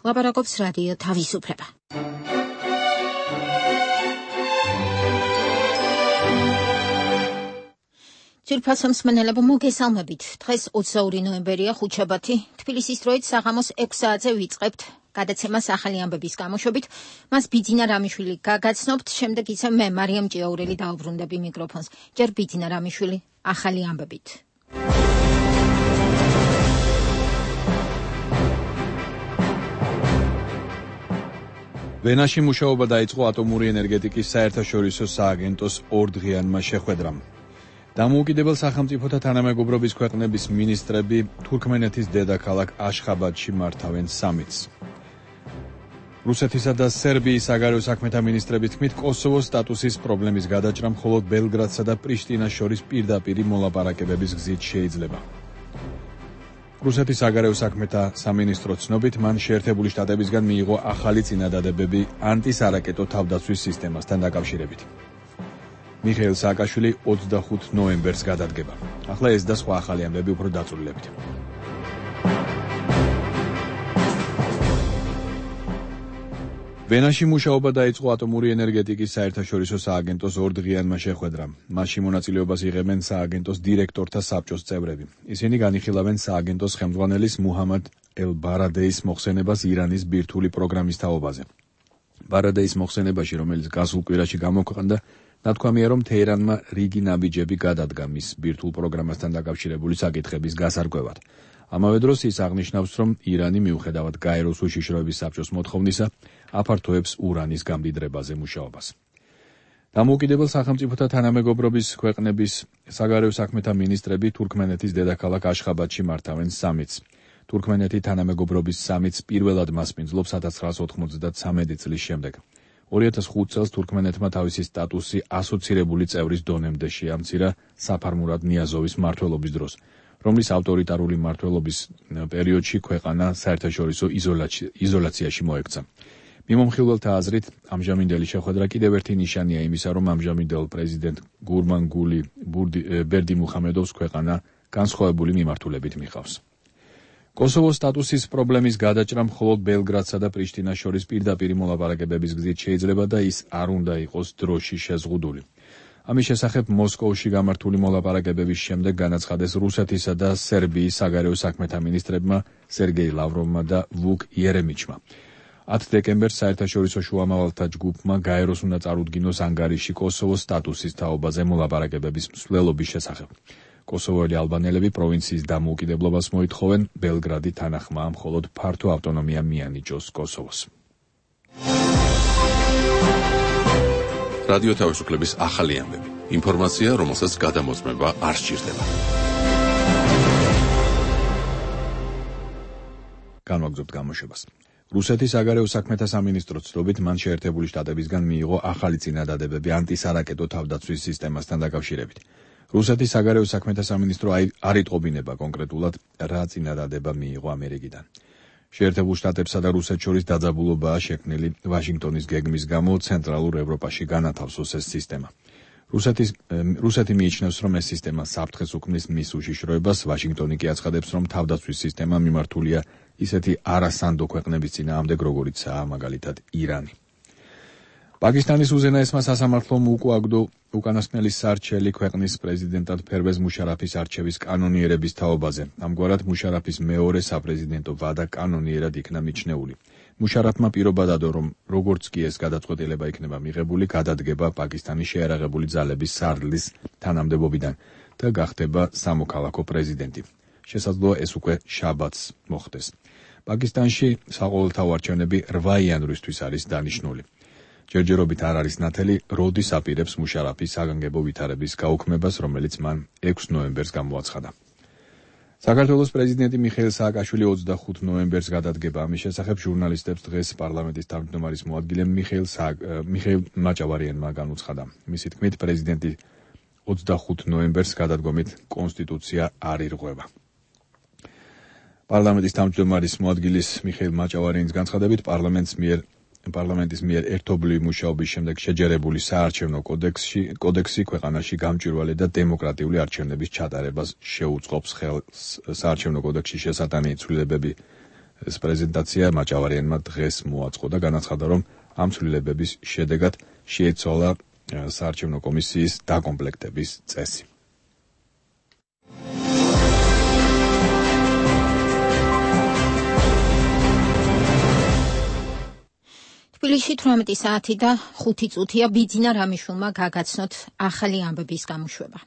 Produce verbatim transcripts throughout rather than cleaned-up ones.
ლაპარაკობს რადიო თავისუფლება. ძვირფასო მსმენელებო, მოგესალმებით. დღეს ოცდაორი ნოემბერია, ხუთშაბათი. თბილისის დროით საღამოს ექვს საათზე ვიწყებთ გადაცემას ახალი ამბების გამოშვებით. მას ბიძინა რამიშვილი გაგაცნობთ, შემდეგ ისე მე მარიამ ჭიაურელი დაუბრუნდები მიკროფონს. ჯერ ბიძინა რამიშვილი ახალი ამბებით. ვენაში მუშაობა დაიწყო ატომური ენერგეტიკის საერთაშორისო სააგენტოს ორდღიანმა შეხვედრამ. დამოუკიდებელ სახელმწიფოთა თანამეგობრობის ქვეყნების მინისტრები თურქმენეთის დედაქალაქ აშხაბადში მართავენ სამიტს. რუსეთისა და სერბიის საგარეო საქმეთა მინისტრების თქმით, კოსოვოს სტატუსის პრობლემის გადაჭრა მხოლოდ ბელგრადსა და პრიშტინას შორის პირდაპირი მოლაპარაკებების გზით შეიძლება. რუსეთის საგარეო საქმეთა სამინისტროს ცნობით, მან შეერთებული შტატებისგან მიიღო ახალი წინადადებები ანტისარაკეტო თავდაცვის სისტემასთან დაკავშირებით. მიხეილ სააკაშვილი ოცდახუთ ნოემბერს გადადგება. ახლა ეს და სხვა ახალი ამბები უფრო დაწვრილებით. ვენაში მუშაობა დაიწყო ატომური ენერგეტიკის საერთაშორისო სააგენტოს ორდღიანმა შეხვედრამ. მასში მონაწილეობას იღებენ სააგენტოს დირექტორთა საბჭოს წევრები. ისინი განიხილავენ სააგენტოს ხელმძღვანელის მუჰამად ელ-ბარადეის მოხსენებას ირანის ბირთვული პროგრამის თაობაზე. ბარადეის მოხსენებაში, რომელიც გასულ კვირაში გამოქვეყნდა, ნათქვამია, რომ თეირანმა რიგი ნაბიჯები გადადგა მის ბირთვულ პროგრამასთან დაკავშირებული საკითხების გასარკვევად. ამავე დროს ის აღნიშნავს, რომ ირანი მიუხედავად გაეროს უშიშროების საბჭოს მოთხოვნისა, აფართოებს ურანის გამდიდრებაზე მუშაობას. დამოუკიდებელ სახელმწიფოთა თანამეგობრობის ქვეყნების საგარეო საქმეთა მინისტრები თურქმენეთის დედაქალაქ აშხაბადში მართავენ სამიტს. თურქმენეთი თანამეგობრობის სამიტს პირველად მასპინძლობს ათას ცხრაასი ოთხმოცდათმეტი წლის შემდეგ. ორი ათას ხუთ წელს თურქმენეთმა თავისი სტატუსი ასოცირებული წევრის დონემდე შეამცირა საფარ-მურად ნიაზოვის მმართველობის დროს, რომლის ავტორიტარული მმართველობის პერიოდში ქვეყანა საერთაშორისო იზოლაციაში მოექცა. მიმომხილველთა აზრით, ამჟამინდელი შეხვედრა კიდევ ერთი ნიშანია იმისა, რომ ამჟამინდელ პრეზიდენტ გურმანგული ბერდიმუხამედოვს ქვეყანა განსხვავებული მიმართულებით მიყავს. კოსოვოს სტატუსის პრობლემის გადაჭრა მხოლოდ ბელგრადსა და პრიშტინას შორის პირდაპირი მოლაპარაკებების გზით შეიძლება და ის არ უნდა იყოს დროში შეზღუდული. ამის შესახებ მოსკოვში გამართული მოლაპარაკებების შემდეგ განაცხადეს რუსეთისა და სერბიის საგარეო საქმეთა მინისტრებმა სერგეი ლავროვმა და ვუკ იერემიჩმა. ათი დეკემბერს საერთაშორისო შუამავალთა ჯგუფმა გაეროს უნდა წარუდგინოს ანგარიში კოსოვოს სტატუსის თაობაზე მოლაპარაკებების მსვლელობის შესახებ. კოსოვოელი ალბანელები პროვინციის დამოუკიდებლობას მოითხოვენ, ბელგრადი თანახმაა მხოლოდ ფართო ავტონომია მიანიჭოს კოსოვოს. რადიო თავისუფლების ახალი ამბები. ინფორმაცია, რომელსაც გადამოწმება არ სჭირდება. განვაგრძობთ გამოშვებას. რუსეთის საგარეო საქმეთა სამინისტროს ცნობით, მან შეერთებული შტატებისგან მიიღო ახალი წინადადებები ანტისარაკეტო თავდაცვის სისტემასთან დაკავშირებით. რუსეთის საგარეო საქმეთა სამინისტრო არ იტყობინება კონკრეტულად, რა წინადადება მიიღო ამერიკიდან. შეერთებულ შტატებსა და რუსეთს შორის დაძაბულობაა შექმნილი ვაშინგტონის გეგმის გამო ცენტრალურ ევროპაში განათავსოს ეს სისტემა. რუსეთის რუსეთი მიიჩნევს, რომ ეს სისტემა საფრთხეს უქმნის მის უშიშროებას, ვაშინგტონი კი აცხადებს, რომ თავდაცვის სისტემა მიმართულია ისეთი არასანდო ქვეყნების წინააღმდეგ, როგორიცაა მაგალითად ირანი. პაკისტანის უზენაესმა სასამართლომ უკუაგდო უკანასკნელი სარჩელი ქვეყნის პრეზიდენტად ფერვეზ მუშარაფის არჩევის კანონიერების თაობაზე. ამგვარად მუშარაფის მეორე საპრეზიდენტო ვადა კანონიერად იქნა მიჩნეული. მუშარაფმა პირობა დადო, რომ როგორც კი ეს გადაწყვეტილება იქნება მიღებული, გადადგება პაკისტანის შეიარაღებული ძალების სარდლის თანამდებობიდან და გახდება სამოქალაქო პრეზიდენტი. შესაძლოა ეს უკვე შაბათს მოხდეს. პაკისტანში საყოველთაო არჩევნები რვა იანვრისთვის არის დანიშნული. ჯერჯერობით არ არის ნათელი, როდის აპირებს მუშარაფის საგანგებო ვითარების გაუქმებას, რომელიც მან ექვს ნოემბერს გამოაცხადა. საქართველოს პრეზიდენტი მიხეილ სააკაშვილი ოცდახუთ ნოემბერს გადადგება. ამის შესახებ ჟურნალისტებს დღეს პარლამენტის თავმჯდომარის მოადგილე მიხეილ მიხეილ მაჭავარიანმა განუცხადა. მისი თქმით, პრეზიდენტი ოცდახუთ ნოემბერს გადადგომით კონსტიტუცია არ ირღვევა. პარლამენტის თავმჯდომარის მოადგილის მიხეილ მაჭავარიანის განცხადებით, პარლამენტის მიერ პარლამენტის მიერ ერთობლივი მუშაობის შემდეგ შეჯერებული საარჩევნო კოდექსში კოდექსი ქვეყანაში გამჭვირვალე და დემოკრატიული არჩევნების ჩატარებას შეუწყობს ხელს. საარჩევნო კოდექსში შესატანილი ცვლილებები ეს პრეზენტაცია მაჭავარიანმა დღეს მოაწყო და განაცხადა, რომ ამ ცვლილებების შედეგად შეიცვალა საარჩევნო კომისიის დაკომპლექტების წესი. თბილისში თვრამეტი საათი და ხუთი წუთია ბიძინა რამიშვილმა გაგაცნოთ ახალი ამბების გამოშვება.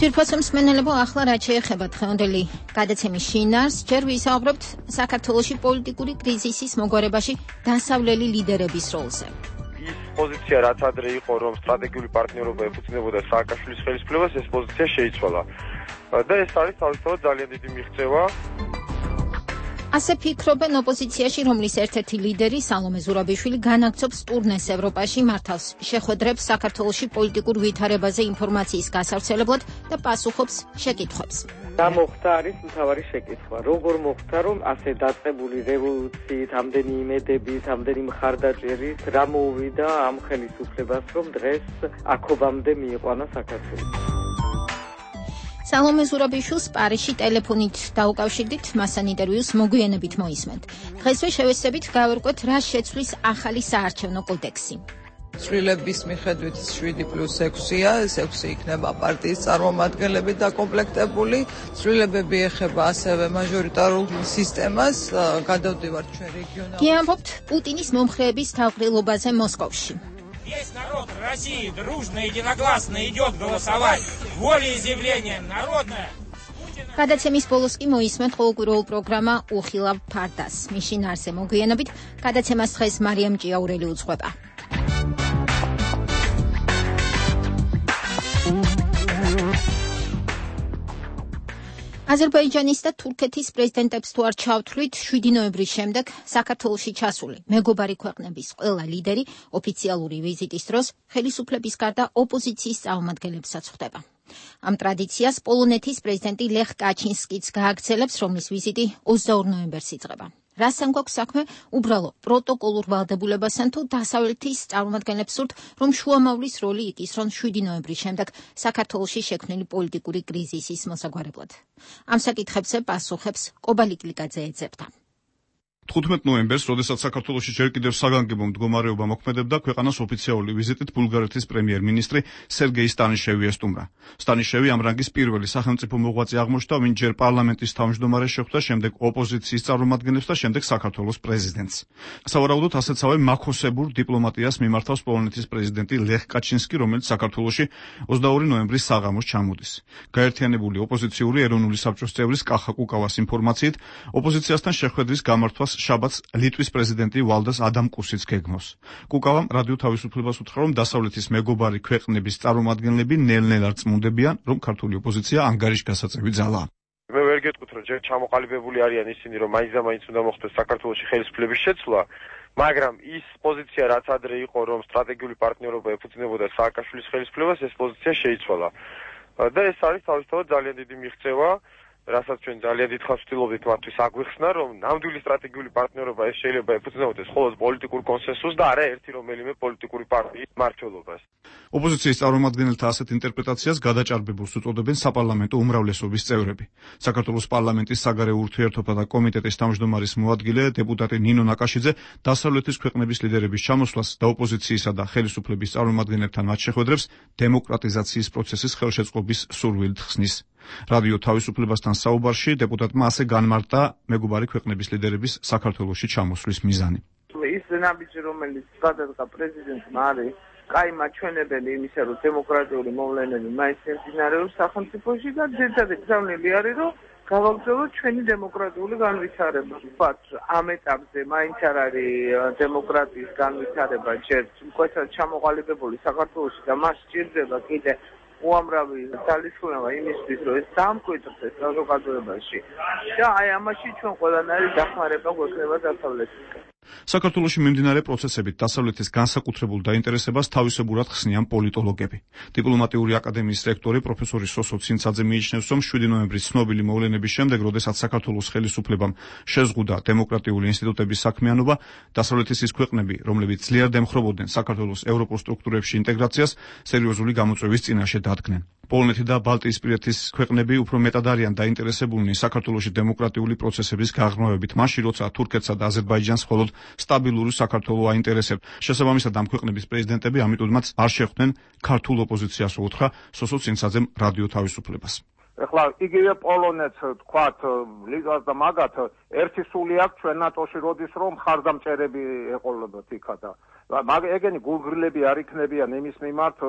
ძვირფასო მსმენელებო, ახლა რაც შეეხება დღევანდელი გადაცემის შინაარსს, ჯერ ვისაუბრებთ საქართველოში პოლიტიკური კრიზისის მოგვარებაში დასავლელი ლიდერების როლზე. ის პოზიცია, რაც ადრე იყო, რომ სტრატეგიული პარტნიორობა ეფუძნებოდა სააკაშვილის ხელისუფლებას, ეს პოზიცია შეიცვალა. და ეს არის თავისთავად ძალიან დიდი მიღწევა. ასე ფიქრობენ ოპოზიციაში, რომლის ერთ-ერთი ლიდერი სალომე ზურაბიშვილი განაგრძობს ტურნეს ევროპაში, მართავს შეხვედრებს საქართველოში პოლიტიკურ ვითარებაზე ინფორმაციის გასავრცელებლად და პასუხობს შეკითხვებს. რა მოხდა არის მთავარი შეკითხვა. როგორ მოხდა, რომ ასე დაწყებული რევოლუციით, ამდენი იმედებით, ამდენი მხარდაჭერით რა მოუვიდა ამ ხელისუფლებას, რომ დღეს აქობამდე მიიყვანა საქართველოს. სალომე ზურაბიშვილს პარიზში ტელეფონით დაუკავშირდით, მასთან ინტერვიუს მოგვიანებით მოისმენთ. დღესვე შევეცდებით გავერკვეთ, რა შეცვლის ახალი საარჩევნო კოდექსი. ცვლილების მიხედვით შვიდი პლუს ექვსია, ეს ექვსი იქნება პარტიის წარმომადგენლები დაკომპლექტებული. ცვლილებები ეხება ასევე მაჟორიტარულ სისტემას, გადავდივართ ჩვენ რეგიონალურ. გიამბობთ პუტინის მომხრეების თავყრილობაზე მოსკოვში. Весь народ России дружно и единогласно идет голосовать. Волеизъявление народное. გადაცემის ბოლოს კი მოისმენთ ყოველკვირეულ პროგრამა უხილავ ფარდას. მის შინაარსზე მოგვიანებით გადაცემას დღეს მარიამ ჭიაურელი უძღვება. აზერბაიჯანის და თურქეთის პრეზიდენტებს თუ არ ჩავთვლით, შვიდი ნოემბრის შემდეგ საქართველოში ჩასული მეგობარი ქვეყნების ყველა ლიდერი ოფიციალური ვიზიტის დროს ხელისუფლების გარდა ოპოზიციის წარმომადგენლებსაც ხვდება. ამ ტრადიციას პოლონეთის პრეზიდენტი ლეხ კაჩინსკიც გააგრძელებს, რომლის ვიზიტი ოცდაორ ნოემბერს იწყება. რასთან გვაქვს საქმე? უბრალო პროტოკოლურ ვალდებულებასთან თუ დასავლეთის წარმომადგენლებს სურთ, რომ შუამავლის როლი იკისრონ შვიდი ნოემბრის შემდეგ საქართველოში შექმნილი პოლიტიკური კრიზისის მოსაგვარებლად. ამ საკითხებზე პასუხებს კობალიკ ლიკაძე ეძებდა. თხუთმეტ ნოემბერს, როდესაც საქართველოში ჯერ კიდევ საგანგებო მდგომარეობა მოქმედებდა, ქვეყანას ოფიციალური ვიზიტით ბულგარეთის პრემიერ-მინისტრი სერგეი სტანიშევი ესტუმრა. სტანიშევი ამ რანგის პირველი სახელმწიფო მოღვაწე აღმოჩნდა, ვინც ჯერ პარლამენტის თავმჯდომარეს შეხვდა, შემდეგ ოპოზიციის წარმომადგენლებს და შემდეგ საქართველოს პრეზიდენტს. სავარაუდოდ ასეთსავე მაქოსებურ დიპლომატიას მიმართავს პოლონეთის პრეზიდენტი ლეხ კაჩინსკი, რომელიც საქართველოში ოცდაორი ნოემბრის საღამოს ჩამოდის. გაერთიანებული ოპოზიციური ეროვნული საბჭოს წევრის კახა კუკავას ინფორმაციით, ოპოზიციასთან შეხვედრის გამართვას შაბათს ლიტვის პრეზიდენტი ვალდას ადამკუსიც გეგმავს. კუკავამ რადიო თავისუფლებას უთხრა, რომ დასავლეთის მეგობარი ქვეყნების წარმომადგენლები ნელ-ნელა რწმუნდებიან, რომ ქართული ოპოზიცია ანგარიშგასაწევი ძალაა. მე ვერ გეტყვით, რომ ჯერ ჩამოყალიბებული არიან ისინი, რომ მაინც და მაინც უნდა მოხდეს საქართველოში ხელისუფლების შეცვლა, მაგრამ ის პოზიცია, რაც ადრე იყო, რომ სტრატეგიული პარტნიორობა ეფუძნებოდა სააკაშვილის ხელისუფლებას, ეს პოზიცია შეიცვალა. და ეს არის თავისთავად ძალიან დიდი მიღწევა. რასაც ჩვენ ძალიან დიდ ხანს ვცდილობდით მათთვის აგვიხსნა, რომ ნამდვილი სტრატეგიული პარტნიორობა ეს შეიძლება ეფუძნებოდეს მხოლოდ პოლიტიკურ კონსენსუსს და არა ერთი რომელიმე პოლიტიკური პარტიის მმართველობას. ოპოზიციის წარმომადგენელთა ასეთ ინტერპრეტაციას გადაჭარბებულს უწოდებენ საპარლამენტო უმრავლესობის წევრები. საქართველოს პარლამენტის საგარეო ურთიერთობათა და კომიტეტის თავმჯდომარის მოადგილე დეპუტატი ნინო ნაკაშიძე დასავლეთის ქვეყნების ლიდერების ჩამოსვლას და ოპოზიციისა და ხელისუფლების წარმომადგენლებთან მათ შეხვედრებს დემოკრატიზაციის პროცესის ხელშეწყობის სურვილით ხსნის. რადიო თავისუფლებასთან საუბარში დეპუტატმა ასე განმარტა მეგობარი ქვეყნების ლიდერების საქართველოში ჩამოსვლის მიზანი. ის ნაბიჯი, რომელიც გადადგა პრეზიდენტმა, არის კაი მაჩვენებელი იმისა, რომ დემოკრატიული მოვლენები მაინც მიმდინარეობს სახელმწიფოში და ძირითადად გზავნილი არის, რომ გავაგრძელოთ ჩვენი დემოკრატიული განვითარება. ვთქვათ, ამ ეტაპზე მაინც არ არის დემოკრატიის განვითარება ჯერ მკვეთრად ჩამოყალიბებული საქართველოში და მას სჭირდება კიდე უამრავი ძალისხმევა იმისთვის, რომ ეს დამკვიდრდეს საზოგადოებაში და აი ამაში ჩვენ ყველანაირი დახმარება გვექნება დასავლეთისგან. საქართველოში მიმდინარე პროცესებით დასავლეთის განსაკუთრებულ დაინტერესებას თავისებურად ხსნიან პოლიტოლოგები. დიპლომატიური აკადემიის რექტორი პროფესორი სოსო ცინცაძე მიიჩნევს, რომ შვიდი ნოემბრის ცნობილი მოვლენების შემდეგ, როდესაც საქართველოს ხელისუფლებამ შეზღუდა დემოკრატიული ინსტიტუტების საქმიანობა, დასავლეთის ის ქვეყნები, რომლებიც ძლიერ დემხრობოდნენ საქართველოს ევროპულ სტრუქტურებში ინტეგრაციას, სერიოზული გამოწვევის წინაშე დადგნენ. პოლონეთი და ბალტიისპირეთის ქვეყნები უფრო მეტად არიან დაინტერესებულნი საქართველოში დემოკრატიული პროცესების გაღრმავებით, მაშინ როცა თურქეთსა და აზერბაიჯანს მხოლოდ სტაბილური საქართველო აინტერესებთ. შესაბამისად, ამ ქვეყნების პრეზიდენტები ამიტომაც არ შეხვდნენ ქართულ ოპოზიციას, უთხრა სოსო ცინცაძემ რადიო თავისუფლებას. ეხლა იგივე პოლონეთს თქვათ ლიტვას და მაგათ ერთი სული აქვს ჩვენ ნატოში როდის რომ ხარდამჭერები ეყოლებათ იქა და მაგ ეგენი გულგრილები არ იქნებიან იმის მიმართ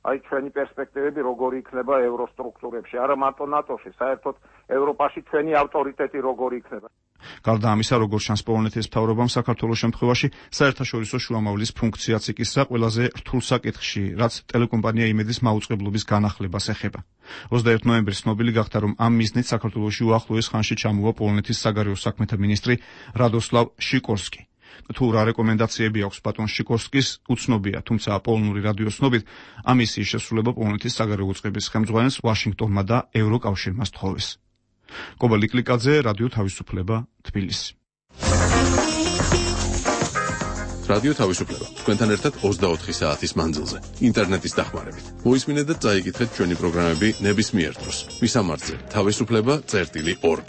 აი ჩვენი პერსპექტივები როგორი იქნება ევროსტრუქტურებში, არა მარტო ნატოში, საერთოდ ევროპაში ჩვენი ავტორიტეტი როგორი იქნება. გარდა ამისა, როგორც ჩანს პოლონეთის მთავრობამ საქართველოს შემთხვევაში საერთაშორისო შუამავლის ფუნქციაც იკისრა ყველაზე რთულ საკითხში, რაც ტელეკომპანია იმედის მაუწყებლობის განახლებას ეხება. ოცდაერთი ნოემბრის ცნობილი გახდა, რომ ამ მიზნით საქართველოში უახლოეს ხანში ჩამოვა პოლონეთის საგარეო საქმეთა მინისტრი რადოსლავ შიკორსკი. თუ რა რეკომენდაციები აქვს ბატონ შიკორსკის, უცნობია, თუმცა პოლონური რადიოს ცნობით, ამ მისიის შესრულება პოლონეთის საგარეო უწყების ხელმძღვანელს ვაშინგტონმა და ევროკავშირმა სთხოვეს. კობა ლიკლიკაძე, რადიო თავისუფლება, თბილისი. რადიო თავისუფლება. თქვენთან ერთად ოცდაოთხი საათის მანძილზე, ინტერნეტის დახმარებით. მოისმინეთ და წაიკითხეთ ჩვენი პროგრამები ნებისმიერ დროს. მისამართზე თავისუფლება წერტილი ორგ.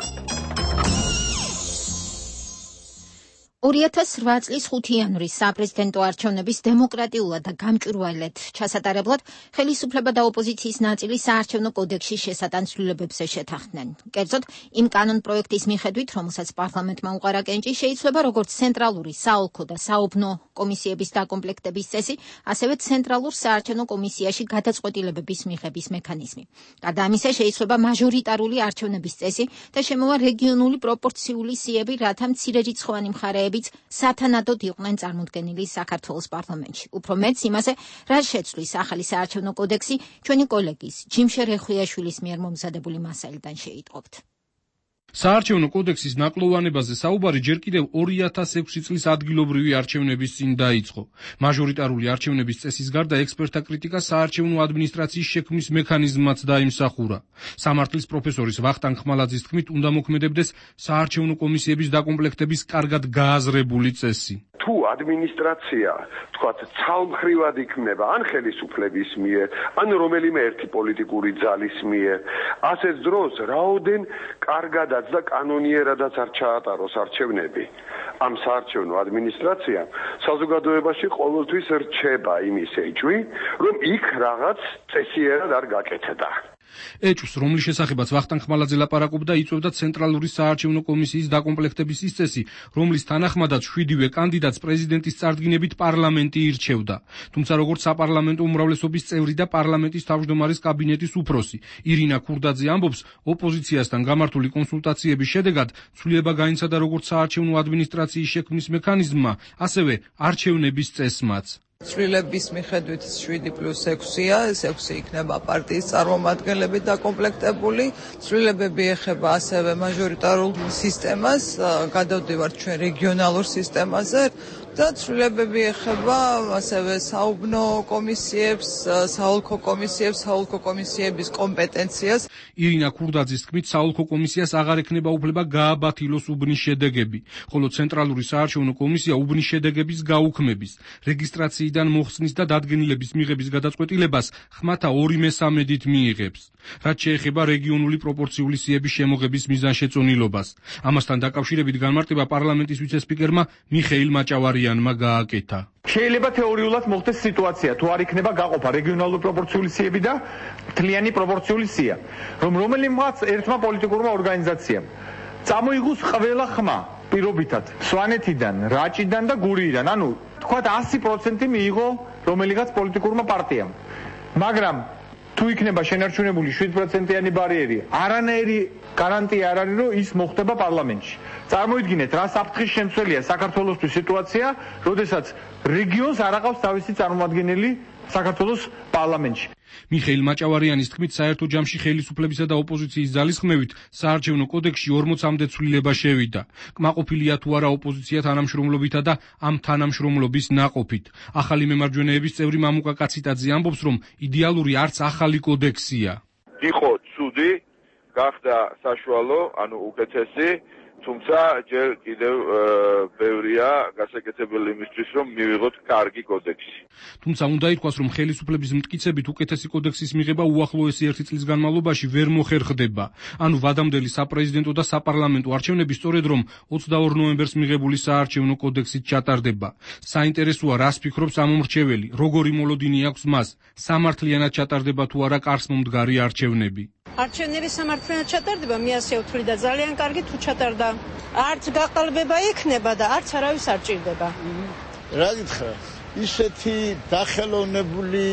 ორი ათას რვა წლის ხუთი იანვრის საპრეზიდენტო არჩევნების დემოკრატიულად და გამჭვირვალედ ჩასატარებლად ხელისუფლება და ოპოზიციის ნაწილი საარჩევნო კოდექსში შესატან ცვლილებებზე შეთანხმდნენ. კერძოდ, იმ კანონ პროექტის მიხედვით, რომელსაც პარლამენტმა უყარა კენჭი, შეიძლება როგორც ცენტრალური საოლქო და საუბნო კომისიების დაკომპლექტების წესი, ასევე ცენტრალურ საარჩევნო კომისიაში გადაწყვეტილებების მიღების მექანიზმი. გარდა ამისა, შეიძლება მაჟორიტარული არჩევნების წესი და შემოვა რეგიონული პროპორციული სიები, რათა მცირერიცხოვანი მხარეები სათანადოდ იყვნენ წარმოდგენილი საქართველოს პარლამენტში. უფრო მეც იმაზე, რაც შეცვლის ახალი საარჩევნო კოდექსი, ჩვენი კოლეგის ჯიმშერ ეხვიაშვილის მიერ მომზადებული მასალიდან შეიტყობთ. საარჩევნო კოდექსის ნაკლოვანებაზე საუბარი ჯერ კიდევ ორი ათას ექვსი წლის ადგილობრივი არჩევნების წინ დაიწყო. მაჟორიტარული არჩევნების წესის გარდა ექსპერტთა კრიტიკა საარჩევნო ადმინისტრაციის შექმნის მექანიზმმაც დაიმსახურა. სამართლის პროფესორის ვახტანგ ხმალაძის თქმით, უნდა მოქმედებდეს საარჩევნო კომისიების დაკომპლექტების კარგად გააზრებული წესი. თუ ადმინისტრაცია, თქვათ, ცალმხრივად იქნება ან ხელისუფლების მიერ, ან რომელიმე ერთი პოლიტიკური ძალის მიერ, ასეთ დროს რაოდენ კარგადაც და კანონიერადაც არ ჩაატაროს არჩევნები. ამ საარჩევნო ადმინისტრაციამ საზოგადოებაში ყოველთვის რჩება იმის ეჭვი, რომ იქ რაღაც წესიერად არ გაკეთდა. ეჭვს, რომლის შესახებაც ვახტანგ ხმალაძე ლაპარაკობდა, იწვევდა ცენტრალური საარჩევნო კომისიის დაკომპლექტების ის წესი, რომლის თანახმადაც შვიდივე კანდიდატს პრეზიდენტის წარდგინებით პარლამენტი ირჩევდა. თუმცა როგორც საპარლამენტო უმრავლესობის წევრი და პარლამენტის თავმჯდომარის კაბინეტის უფროსი ირინა ქურდაძე ამბობს, ოპოზიციასთან გამართული კონსულტაციების შედეგად ცვლილება გაინცადა როგორც საარჩევნო ადმინისტრაციის შექმნის მექანიზმმა, ასევე არჩევნების წესმაც. ცვლილების მიხედვით შვიდი პლუს ექვსია, ეს ექვსი იქნება პარტიის წარმომადგენლებით დაკომპლექტებული. ცვლილებები ეხება ასევე მაჟორიტარულ სისტემას, გადავდივართ ჩვენ რეგიონალურ სისტემაზე. და ცვლილებები ეხება ასევე საუბნო კომისიებს, საოლქო კომისიებს, საოლქო კომისიების კომპეტენციას. ირინა ქურდაძის თქმით, საოლქო კომისიას აღარ ექნება უფლება გააბათილოს უბნის შედეგები, ხოლო ცენტრალური საარჩევნო კომისია უბნის შედეგების გაუქმების, რეგისტრაციიდან მოხსნის და დადგენილების მიღების გადაწყვეტილებას ხმათა ორი მესამედით მიიღებს. რაც შეეხება რეგიონული პროპორციული სიების შემოღების მიზანშეწონილობას. ამასთან დაკავშირებით განმარტება პარლამენტის ვიცე-სპიკერმა მიხეილ მაჭავარიანმა გააკეთა. შეიძლება თეორიულად მოხდეს სიტუაცია, თუ არ იქნება გაყოფა რეგიონალური პროპორციული სიები და მთლიანი პროპორციული სია, რომ რომელიმაც ერთმა პოლიტიკურმა ორგანიზაციამ წამოიღოს ყველა ხმა პირობითად სვანეთიდან, რაჭიდან და გურიიდან, ანუ თქვათ ასი პროცენტი მიიღო რომელიღაც პოლიტიკურმა პარტიამ. მაგრამ თუ იქნება შენარჩუნებული შვიდ პროცენტიანი ბარიერი, არანაირი გარანტია არ არის, რომ ის მოხდება პარლამენტში. წარმოიდგინეთ, რა საფრთხის შემცველია საქართველოსთვის სიტუაცია, როდესაც რეგიონს არ აყავს თავისი წარმომადგენელი საქართველოს პარლამენტში. მიხეილ მაჭავარიანის თქმით, საერთო ჯამში ხელისუფლებისა და ოპოზიციის ძალისხმევით საარჩევნო კოდექსში ორმოცამდე ცვლილება შევიდა. კმაყოფილია თუ არა ოპოზიცია თანამშრომლობითა და ამ თანამშრომლობის ნაყოფით. ახალი მემარჯვენეების წევრი მამუკა კაციტაძე ამბობს, რომ იდეალური არც ახალი კოდექსია. იყო ცუდი, გახდა საშუალო, ანუ უკეთესი, თუმცა ჯერ კიდევ ბევრია გასაკეთებელი იმისთვის, რომ მივიღოთ კარგი კოდექსი. თუმცა უნდა ითქვას, რომ ხელისუფლების მტკიცებით უკეთესი კოდექსის მიღება უახლოესი ერთი წლის განმავლობაში ვერ მოხერხდება. ანუ ვადამდელი საპრეზიდენტო და საპარლამენტო არჩევნები სწორედ რომ ოცდაორ ნოემბერს მიღებული საარჩევნო კოდექსით ჩატარდება. საინტერესოა, რას ფიქრობს ამომრჩეველი, როგორი მოლოდინი აქვს მას, სამართლიანად ჩატარდება თუ არა კარს მომდგარი არჩევნები. არჩევნები სამართლიანად ჩატარდება, მე ასე ვთვლი და ძალიან კარგი თუ ჩატარდა. არც გაყალბება იქნება და არც არავის არ ჭირდება. რა გითხრა? ისეთი დახელოვნებული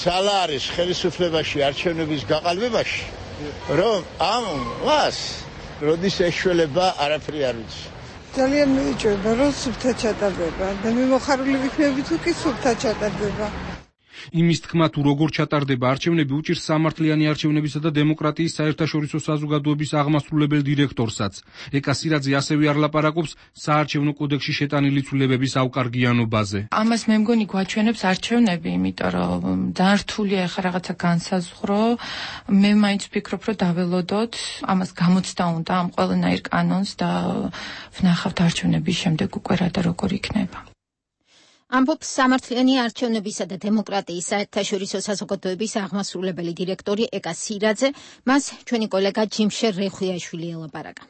ძალა არის ხელისუფლებაში არჩევნების გაყალბებაში, რომ ამ მას როდის ეშველება არაფერი არ ვიცი. ძალიან მეიჭება, რომ სუფთად ჩატარდება და მე მოხარული ვიქნები თუ კი სუფთად ჩატარდება. იმის თქმა თუ როგორ ჩატარდება არჩევნები უჭირს სამართლიანი არჩევნებისა და დემოკრატიის საერთაშორისო საზოგადოების აღმასრულებელ დირექტორსაც. ეკა სირაძე ასევე არ ლაპარაკობს საარჩევნო კოდექსში შეტანილი ცვლილებების ავკარგიანობაზე. ამას მე მგონი გვაჩვენებს არჩევნები, იმიტომ რომ ძალიან რთულია ახლა რაღაცა განსაზღვრო. მე მაინც ვფიქრობ, რომ დაველოდოთ, ამას გამოცდა უნდა ამ ყველანაირ კანონს და ვნახავთ არჩევნების შემდეგ უკვე რა და როგორ იქნება. ამბობს სამართლიანი არჩევნებისა და დემოკრატიის საერთაშორისო საზოგადოების აღმასრულებელი დირექტორი ეკა სირაძე, მას ჩვენი კოლეგა ჯიმშერ რეხვიაშვილი ელაპარაკა.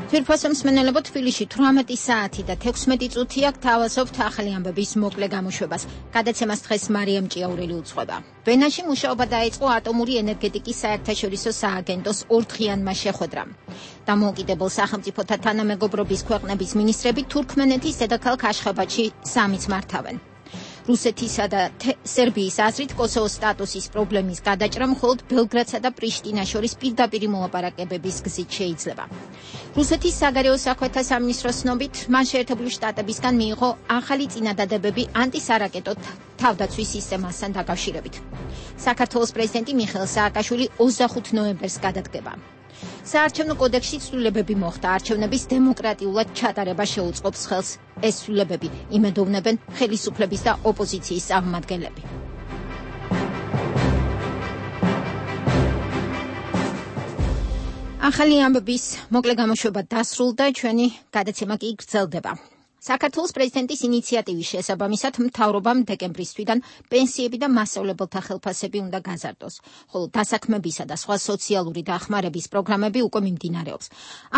თვირფასო მსმენელებო, თბილისში თვრამეტი საათი და თექვსმეტი წუთი აქ თავაზობთ ახალი ამბების მოკლე გამოშვებას. გადაცემას დღეს მარიამ ჭიაურელი უძღვება. ვენაში მუშაობა დაიწყო ატომური ენერგეტიკის საერთაშორისო სააგენტოს ორდღიანმა შეხვედრამ. დამოუკიდებელ სახელმწიფოთა თანამეგობრობის ქვეყნების მინისტრები თურქმენეთის დედაქალაქ აშხაბადში სამიც მართავენ. რუსეთისა და სერბიის აზრით კოსოვოს სტატუსის პრობლემის გადაჭრა მხოლოდ ბელგრადსა და პრიშტინას შორის პირდაპირი მოლაპარაკებების გზით შეიძლება. რუსეთის საგარეო საქმეთა სამინისტროს ცნობით, მან შეერთებული შტატებისგან მიიღო ახალი წინადადებები ანტისარაკეტო თავდაცვის სისტემასთან დაკავშირებით. საქართველოს პრეზიდენტი მიხეილ სააკაშვილი ოცდახუთ ნოემბერს გადადგება. საარჩევნო კოდექსში ცვლილებები მოხდა, არჩევნების დემოკრატიულად ჩატარება შეუწყობს ხელს. ეს ცვლილებები იმედოვნებენ ხელისუფლების და ოპოზიციის წარმომადგენლები. ახალი ამბების მოკლე გამოშვება დასრულდა, ჩვენი გადაცემა კი გრძელდება. საქართველოს პრეზიდენტის ინიციატივის შესაბამისად მთავრობამ დეკემბრის თვიდან პენსიები და მასწავლებელთა ხელფასები უნდა გაზარდოს, ხოლო დასაქმებისა და სხვა სოციალური დახმარების პროგრამები უკვე მიმდინარეობს.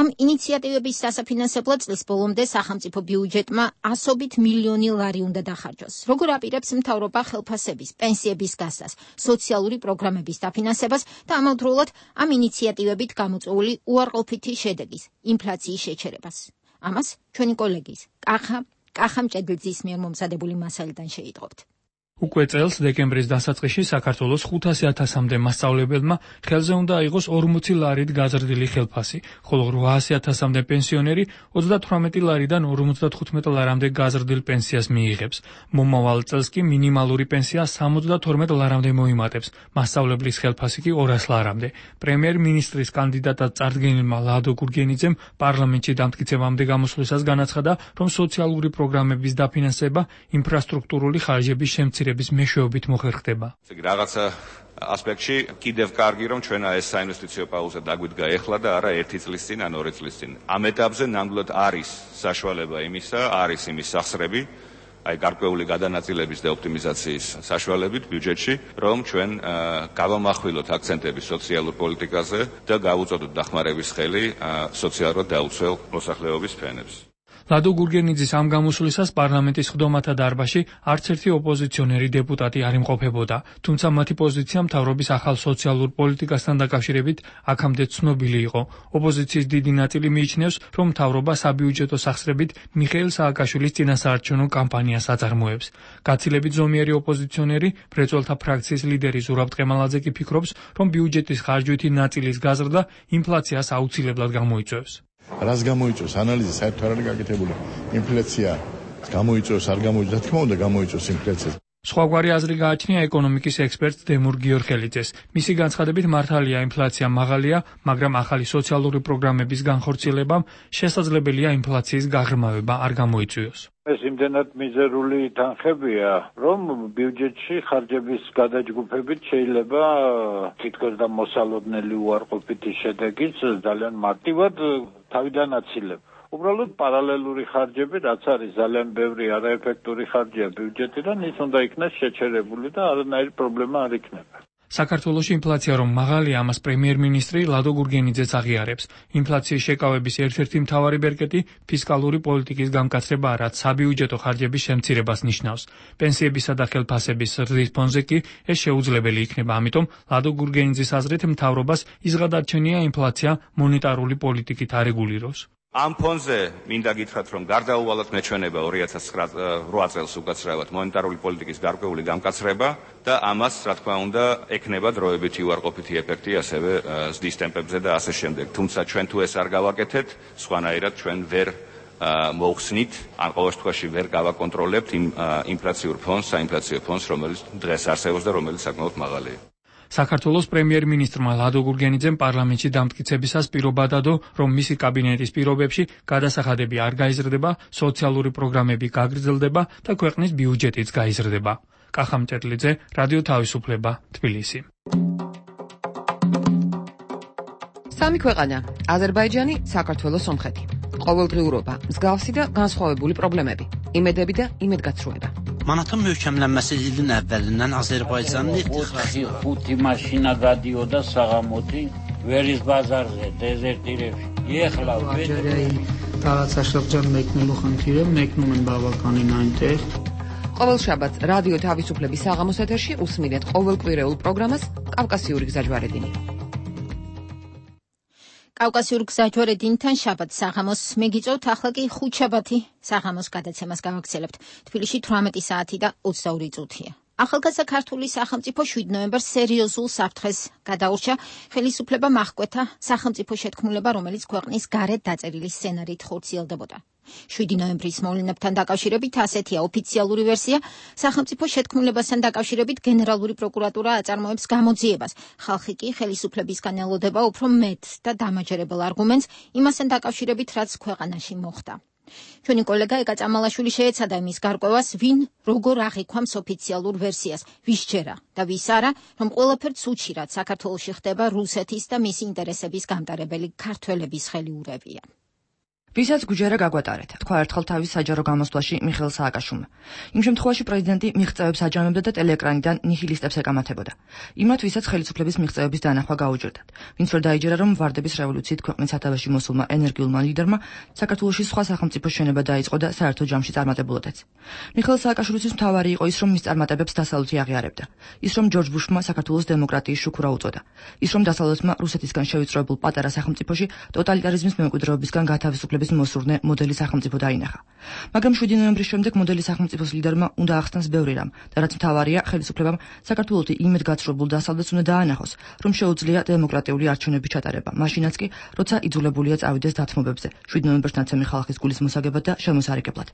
ამ ინიციატივების დასაფინანსებლად წლის ბოლომდე სახელმწიფო ბიუჯეტმა ასობით მილიონი ლარი უნდა დახარჯოს. როგორ აპირებს მთავრობა ხელფასების, პენსიების გასცას, სოციალური პროგრამების დაფინანსებას და ამავდროულად ამ ინიციატივებით გამოწვეული უარყოფითი შედეგის, ინფლაციის შეჩერებას. ამას ჩვენი კოლეგის კახა კახა მჭედლიძის მიერ მომზადებული მასალიდან შეიტყობთ. უკვე წელს დეკემბრის დასაწყისში საქართველოს ხუთასი ათასამდე მასწავლებელმა ხელზე უნდა აიღოს ორმოცი ლარით გაზრდილი ხელფასი, ხოლო რვაასი ათასამდე პენსიონერი ოცდათვრამეტი ლარიდან ორმოცდათხუთმეტ ლარამდე გაზრდილ პენსიას მიიღებს. მომავალ წელს კი მინიმალური პენსია სამოცდათორმეტ ლარამდე მოიმატებს, მასწავლებლის ხელფასი კი ორას ლარამდე. პრემიერ-მინისტრის კანდიდატად წარდგენილმა ლადო გურგენიძემ პარლამენტში დამტკიცებამდე გამოსვლისას განაცხადა, რომ სოციალური პროგრამების დაფინანსება ინფრასტრუქტურული ხარჯების შემცირებას მეშვეობით მოხერხდება. რაღაცა ასპექტში კიდევ კარგი რომ ჩვენა ეს საინვესტიციო პაუზა დაგვიდგა ეხლა და არა ერთი წლის წინ ან ორი წლის წინ. ამ ეტაპზე ნამდვილად არის საშუალება იმისა, არის იმის სახსრები, აი გარკვეული გადანაწილების და ოპტიმიზაციის საშუალებით ბიუჯეტში, რომ ჩვენ გავამახვილოთ აქცენტები სოციალურ პოლიტიკაზე და გავუწოდოთ დახმარების ხელი სოციალურად დაუცველ მოსახლეობის ფენებს. ლადო გურგენიძის ამ გამოსვლისას პარლამენტის ხდომათა დარბაზში არც ერთი ოპოზიციონერი დეპუტატი არ იმყოფებოდა, თუმცა მათი პოზიცია მთავრობის ახალ სოციალურ პოლიტიკასთან დაკავშირებით აქამდე ცნობილი იყო. ოპოზიციის დიდი ნაწილი მიიჩნევს, რომ მთავრობა საბიუჯეტო სახსრებით მიხეილ სააკაშვილის წინასაარჩევნო კამპანიას აწარმოებს. გაცილებით ზომიერი ოპოზიციონერი, მრეწველთა ფრაქციის ლიდერი ზურაბ ტყემალაძე კი ფიქრობს, რომ ბიუჯეტის ხარჯვითი ნაწილის გაზრდა ინფლაციას აუცილებლად გამოიწვევს. რას გამოიწვევს ანალიზი საერთოდ არ არის გაკეთებული. ინფლაცია გამოიწვევს, არ გამოიწვევს, რა თქმა უნდა გამოიწვევს ინფლაციას. სხვაგვარი აზრი გააჩნია ეკონომიკის ექსპერტ დემურ გიორხელიძეს. მისი განცხადებით მართალია ინფლაცია მაღალია, მაგრამ ახალი სოციალური პროგრამების განხორციელებამ შესაძლებელია ინფლაციის გაღრმავება არ გამოიწვიოს. ეს იმდენად მიზერული თანხებია, რომ ბიუჯეტში ხარჯების გადაჯგუფებით შეიძლება თითქოს და მოსალოდნელი უარყოფითი შედეგიც ძალიან მარტივად თავიდან აცილება. უბრალოდ პარალელური ხარჯები, რაც არის ძალიან ბევრი არაეფექტური ხარჯია ბიუჯეტიდან, ის უნდა იქნეს შეჩერებული და არანაირი პრობლემა არ იქნება. საქართველოში ინფლაცია რომ მაღალია, ამას პრემიერ-მინისტრი ლადო გურგენიძეც აღიარებს. ინფლაციის შეკავების ერთ-ერთი მთავარი ბერკეტი ფისკალური პოლიტიკის გამკაცრებაა, რაც საბიუჯეტო ხარჯების შემცირებას ნიშნავს. პენსიებისა და ხელფასების ზრდის ფონზე კი ეს შეუძლებელი იქნება, ამიტომ ლადო გურგენიძის აზრით მთავრობას იზღადარჩენია ინფლაცია მონეტარული პოლიტიკით არეგულიროს. ამ ფონზე მინდა გითხრათ, რომ გარდაუვალად მეჩვენება ორი ათას ოთხ წელს უკაცრავად მონეტარული პოლიტიკის გარკვეული გამკაცრება და ამას, რა თქმა უნდა, ექნება დროებითი უარყოფითი ეფექტი ასევე ზრდის ტემპებზე და ასე შემდეგ. თუმცა ჩვენ თუ ეს არ გავაკეთეთ, სხვანაირად ჩვენ ვერ მოვხსნით, ან ყოველ შემთხვევაში ვერ გავაკონტროლებთ იმ ინფლაციურ ფონს, საინფლაციო ფონს, რომელიც დღეს არსებობს და რომელიც საკმაოდ მაღალია. საქართველოს პრემიერ-მინისტრმა ლადო გურგენიძემ პარლამენტში დამტკიცებისას პირობა დადო, რომ მისი კაბინეტის პირობებში გადასახადები არ გაიზრდება, სოციალური პროგრამები გაგრძელდება და ქვეყნის ბიუჯეტიც გაიზრდება. კახამ ჭედლიძე, რადიო თავისუფლება, თბილისი. სამი ქვეყანა: აზერბაიჯანი, საქართველო, სომხეთი. ყოველდღიურობა, მსგავსი და განსხვავებული პრობლემები, იმედები და იმედგაცრუება. Manatın möhkəmlənməsi ilin əvvəlindən Azərbaycanın ixtixası ხუთი maşina გადიოდა საღამოთი ვერის ბაზარზე დეზერტირებში. ეხლა რაღაცა შეღჯან მეკნելու ხანთირე მეკნუმენ ბავაკანინ այնտեղ. ყოველ შაბათს რადიო თავისუფლების საღამოს ეთერში უსმინეთ ყოველკვირეულ პროგრამას კავკასიური გზაჯვარედინი. კავკასიურ გზაჯვარედინთან შაბათს საღამოს მეგიწევთ, ახლა კი ხუთშაბათი საღამოს გადაცემას გავაგრძელებთ. თბილისში თვრამეტი საათი და ოცდაორი წუთია. ახალგაზრდა ქართული სახელმწიფო შვიდ ნოემბერს სერიოზულ საფრთხეს გადაურჩა. ხელისუფლებამ აღკვეთა სახელმწიფო შეთქმულება, რომელიც ქვეყნის გარეთ დაწერილი სცენარით ხორციელდებოდა. შვიდი ნოემბრის მოვლენებთან დაკავშირებით ასეთია ოფიციალური ვერსია. სახელმწიფო შეთქმულებასთან დაკავშირებით გენერალური პროკურატურა აწარმოებს გამოძიებას. ხალხი კი ხელისუფლებისგან ელოდება უფრო მეტ და დამაჯერებელ არგუმენტს იმასთან დაკავშირებით, რაც ქვეყანაში მოხდა. ჩვენი კოლეგა ეკა წამალაშვილი შეეცადა იმის გარკვევას, ვინ როგორ აღიქვამს ოფიციალურ ვერსიას, ვის ჯერა და ვის არა, რომ ყველაფერს უჩირად საქართველოში ხდება რუსეთის და მისი ინტერესების გამტარებელი ქართველების ხელიურევია. ვისაც გუჯერა გაგვატარეთ, თქვა ერთხელ თავის საჯარო გამოსვლაში მიხეილ სააკაშვილმა. იმ შემთხვევაში პრეზიდენტი მიღწევებს აჯამებდა და ტელეეკრანიდან ნიჰილისტებს ეკამათებოდა. იმათ, ვისაც ხელისუფლების მიღწევების დანახვა გაუჭირდათ. ვინც ვერ დაიჯერა, რომ ვარდების რევოლუციით ქვეყნის სათავეში მოსულმა ენერგიულმა ლიდერმა საქართველოში სხვა სახელმწიფო შენება დაიწყო და საერთო ჯამში წარმატებულოდაც. მიხეილ სააკაშვილისთვის მთავარი იყო ის, რომ მის წარმატებებს დასავლეთი აღიარებდა. ის, რომ ჯორჯ ბუშმა საქართველოს დემოკრატიის შუქურა უწოდა. ის, რომ დასავლეთმა რუსეთისგან შევიწროებულ პატარა სახელმწიფოში ტოტალიტარიზმის მემკვიდრეობისგან გათავისუფლების მოსურნე მოდელი სახელმწიფო დაინახა. მაგრამ შვიდი ნოემბრის შემდეგ მოდელი სახელმწიფოს ლიდერმა უნდა ახსნას ბევრი რამ და რაც მთავარია, ხელისუფლებამ საქართველოში იმედგაცრუებულ დასავლეთს უნდა დაანახოს, რომ შეუძლია დემოკრატიული არჩევნების ჩატარება, მაშინაც კი, როცა იძულებულია წავიდეს დათმობებზე, შვიდი ნოემბერს ნაცემი ხალხის გულის მოსაგებად და შემოსარიგებლად.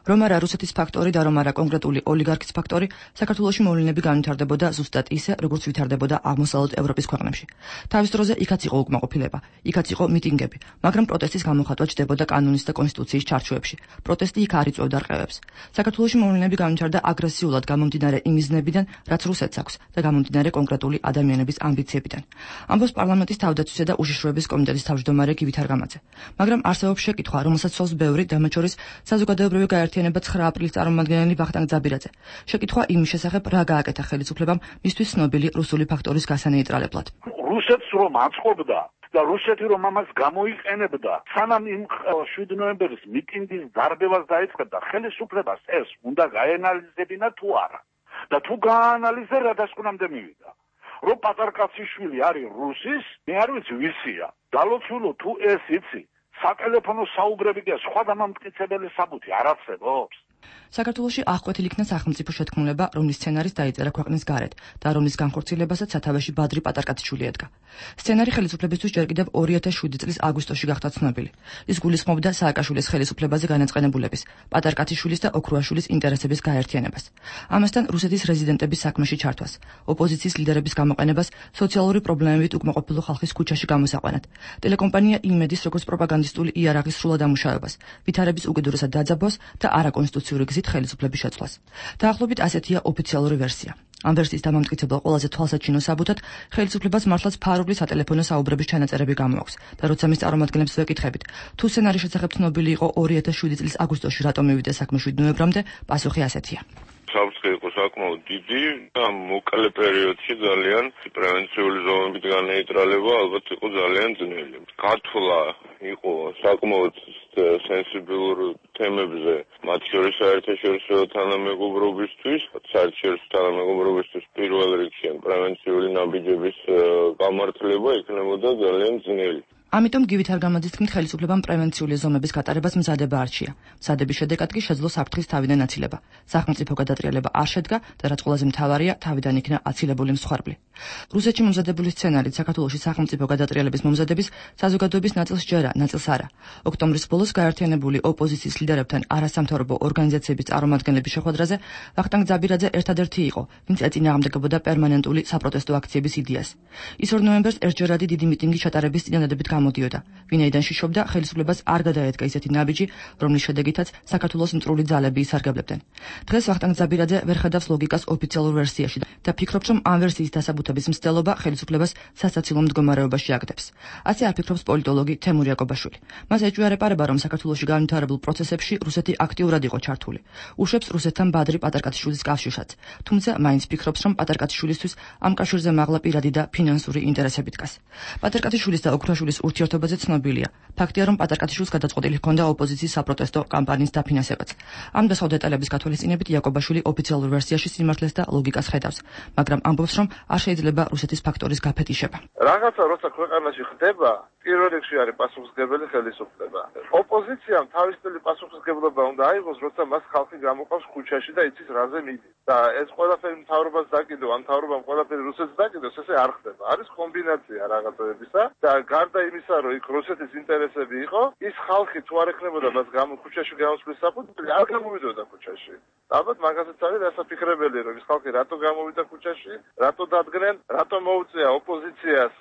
რომ არა რუსეთის ფაქტორი და რომ არა კონკრეტული ოლიგარქის ფაქტორი, საქართველოში მოვლენები განვითარდებოდა ზუსტად ისე, როგორც ვითარდებოდა აღმოსავლეთ ევროპის ქვეყნებში. თავის დროზე იქაც იყო უკმაყოფილება, იქაც იყო მიტინგები, მაგრამ პროტესტის გამოხატვა ჩდება და კანონის და კონსტიტუციის ჩარჩოებში. პროტესტი იქ არ იწვევდა რყევებს. საქართველოში მოვლენები გამჩნდა აგრესიულად გამომდინარე იმიზნებიდან, რაც რუსეთს აქვს და გამომდინარე კონკრეტული ადამიანების ამბიციებიდან. ამბობს პარლამენტის თავდაცვისა და უშიშროების კომიტეტის თავმჯდომარე გივით არღამაძე. მაგრამ არსებობს შეკითხვა, რომელსაც სვავს ბევრი, მათ შორის საზოგადოებრივი გაერთიანება ცხრა აპრილის წარმომადგენელი ვახტანგ ძაბირაძე. შეკითხვა იმის შესახებ, რა გააკეთა ხელისუფლებამ მისთვის ცნობილი რუსული ფაქტორის გასანეიტრალებლად. რუსეთს რომ აწყობდა და რუსეთი რომ ამას გამოიყენებდა, სანამ იმ შვიდი ნოემბერის მიტინგის დარბევას დაიწყებდა, ხელისუფლებას ეს უნდა გაენალიზებინა თუ არა. და თუ გაანალიზდა, რა დასკვნამდე მივიდა. რომ პატარკაციშვილი არის რუსის, მე არ ვიცი ვისია. დალოცულო თუ ეს იცი, სატელეფონო საუბრები და სხვა დამამტკიცებელი საბუთი არ არსებობს. საქართველოში აღკვეთილ იქნა სახელმწიფო შეთქმულება, რომლის სცენარის დაიწერა ქვეყნის გარეთ და რომლის განხორციელებასაც სათავეში ბადრი პატარკათიშვილი ედგა. სცენარი ხელისუფლებისთვის ჯერ კიდევ ორი ათას შვიდი წლის აგვისტოში გახდა ცნობილი. ის გულისხმობდა სააკაშვილის ხელისუფლებაზე განაწყენებულების, პატარკათიშვილის და ოქრუაშვილის ინტერესების გაერთიანებას. ამასთან რუსეთის რეზიდენტების საქმეში ჩართვას, ოპოზიციის ლიდერების გამოყენებას სოციალური პრობლემებით უკმაყოფილო ხალხის ქუჩაში გამოსაყვანად, ტელეკომპანია იმედის როგორც პროპაგანდისტული იარაღის სრულად ამუშავებას, ვითარების უკიდურესად დაძაბვას და არაკონსტიტუციური გზით ხელისუფლების შეცვლას. დაახლოებით ასეთია ოფიციალური ვერსია. ამ ვერსიის დამამტკიცებელ ყველაზე თვალსაჩინო საბუთად ხელისუფლებას მართლაც ფარული სატელეფონო საუბრების ჩანაწერები გამოაქვს და როცა მის წარმომადგენლებს ვეკითხებით, თუ სცენარის შესახებ ცნობილი იყო ორი ათას შვიდი წლის აგვისტოში რატომ მივიდა საქმე შვიდ ნოემბრამდე, პასუხი ასეთია. საფრთხე იყო საკმაოდ დიდი და მოკლე პერიოდში ძალიან პრევენციული ზომებით განეიტრალება ალბათ იყო ძალიან ძნელი. გათვლა იყო საკმაოდ სენსიბილურ თემებზე, მათ შორის საერთაშორისო თანამეგობრობისთვის, საერთაშორისო თანამეგობრობისთვის პირველ რიგში პრევენციული ნაბიჯების გამართლება იქნებოდა ძალიან ძნელი. ამიტომ გივით არ გამოძისქნით ხელისუფლებამ პრევენციული ზომების გატარებას მზადება არჩია. მზადების შედეგად კი შეძლო საფრთხის თავიდან აცილება. სახელმწიფო გადატრიალება არ შედგა და რაც ყველაზე მთავარია, თავიდან იქნა აცილებული მსხვერპლი. რუსეთში მომზადებული სცენარით საქართველოში სახელმწიფო გადატრიალების მომზადების საზოგადოების ნაწილს ჯერა, ნაწილს არა. ოქტომბრის ბოლოს გაერთიანებული ოპოზიციის ლიდერებთან არასამთავრობო ორგანიზაციების წარმომადგენლების შეხვედრაზე ვახტანგ ძაბირაძე ერთადერთი იყო, ვინც ეწინააღმდეგებოდა პერმანენტული საპროტესტო აქციების იდეას. ის ორ ნოემბერს ერთჯერადი დიდი მიტინგი ჩატარების წინადადებით გამოდიოდა. ვინაიდან შიშობდა, ხელისუფლებას არ გადაედგა ისეთი ნაბიჯი, რომლის შედეგითაც საქართველოს მტრული ძალები ისარგებლებდნენ. დღეს ვახტანგ ძაბირაძე ვერ ხედავს ლოგიკას ოფიციალურ ვერსიაში და ფიქრობს, რომ ამ ვერსიის დასაბუთების მცდელობა ხელისუფლებას სასაცილო მდგომარეობაში აგდებს. ასე არ ფიქრობს პოლიტოლოგი თემურ იაკობაშვილი. მას ეჭვია არეპარება, რომ საქართველოში განვითარებულ პროცესებში რუსეთი აქტიურად იყო ჩართული. უშვებს რუსეთთან ბადრი პატარკათიშვილის კავშირსაც, თუმცა მაინც ფიქრობს, რომ პატარკათიშვილისთვის ამ კავშირზე მაღლა პირადი და ფინანსური ინტერესები დგას. პატარკათიშვილის და ოქრუაშვილის ურთიერთობაზე ცნობილია. ფაქტია, რომ პატარკათიშვილს გადაწყვეტილი ჰქონდა ოპოზიციის საპროტესტო კამპანიის დაფინანსებაც. ამ დასავ დეტალების გათვალისწინებით იაკობაშვილი ოფიციალურ ვერსიაში სიმართლეს და ლოგიკას ხედავს, მაგრამ ამბობს, რომ არ შეიძლება რუსეთის ფაქტორის გაფეთიშება. რაღაცა როცა ქვეყანაში ხდება, პირველ რიგში არის პასუხისმგებელი ხელისუფლება. ოპოზიციამ თავისუფლი პასუხისმგებლობა უნდა აიღოს, როცა მას ხალხი გამოყავს ქუჩაში და იცის რაზე მიდის. და ეს ყველაფერი მთავრობას დაკიდო, ამ მთავრობამ ყველაფერი რუსეთს დაკიდოს, ესე არ ხდება. არის კომბინაცია რაღაცებისა და გარდა იმისა, რომ იქ რუსეთის ინტერესები იყო, ის ხალხი თუ არ ექნებოდა მას გამო ქუჩაში გამოსვლის საფუძველი, არ გამოვიდოდა ქუჩაში. ალბათ მაგასაც არის დასაფიქრებელი, რომ ის ხალხი რატო გამოვიდა ქუჩაში, რატო დადგნენ, რატო მოუწია ოპოზიციას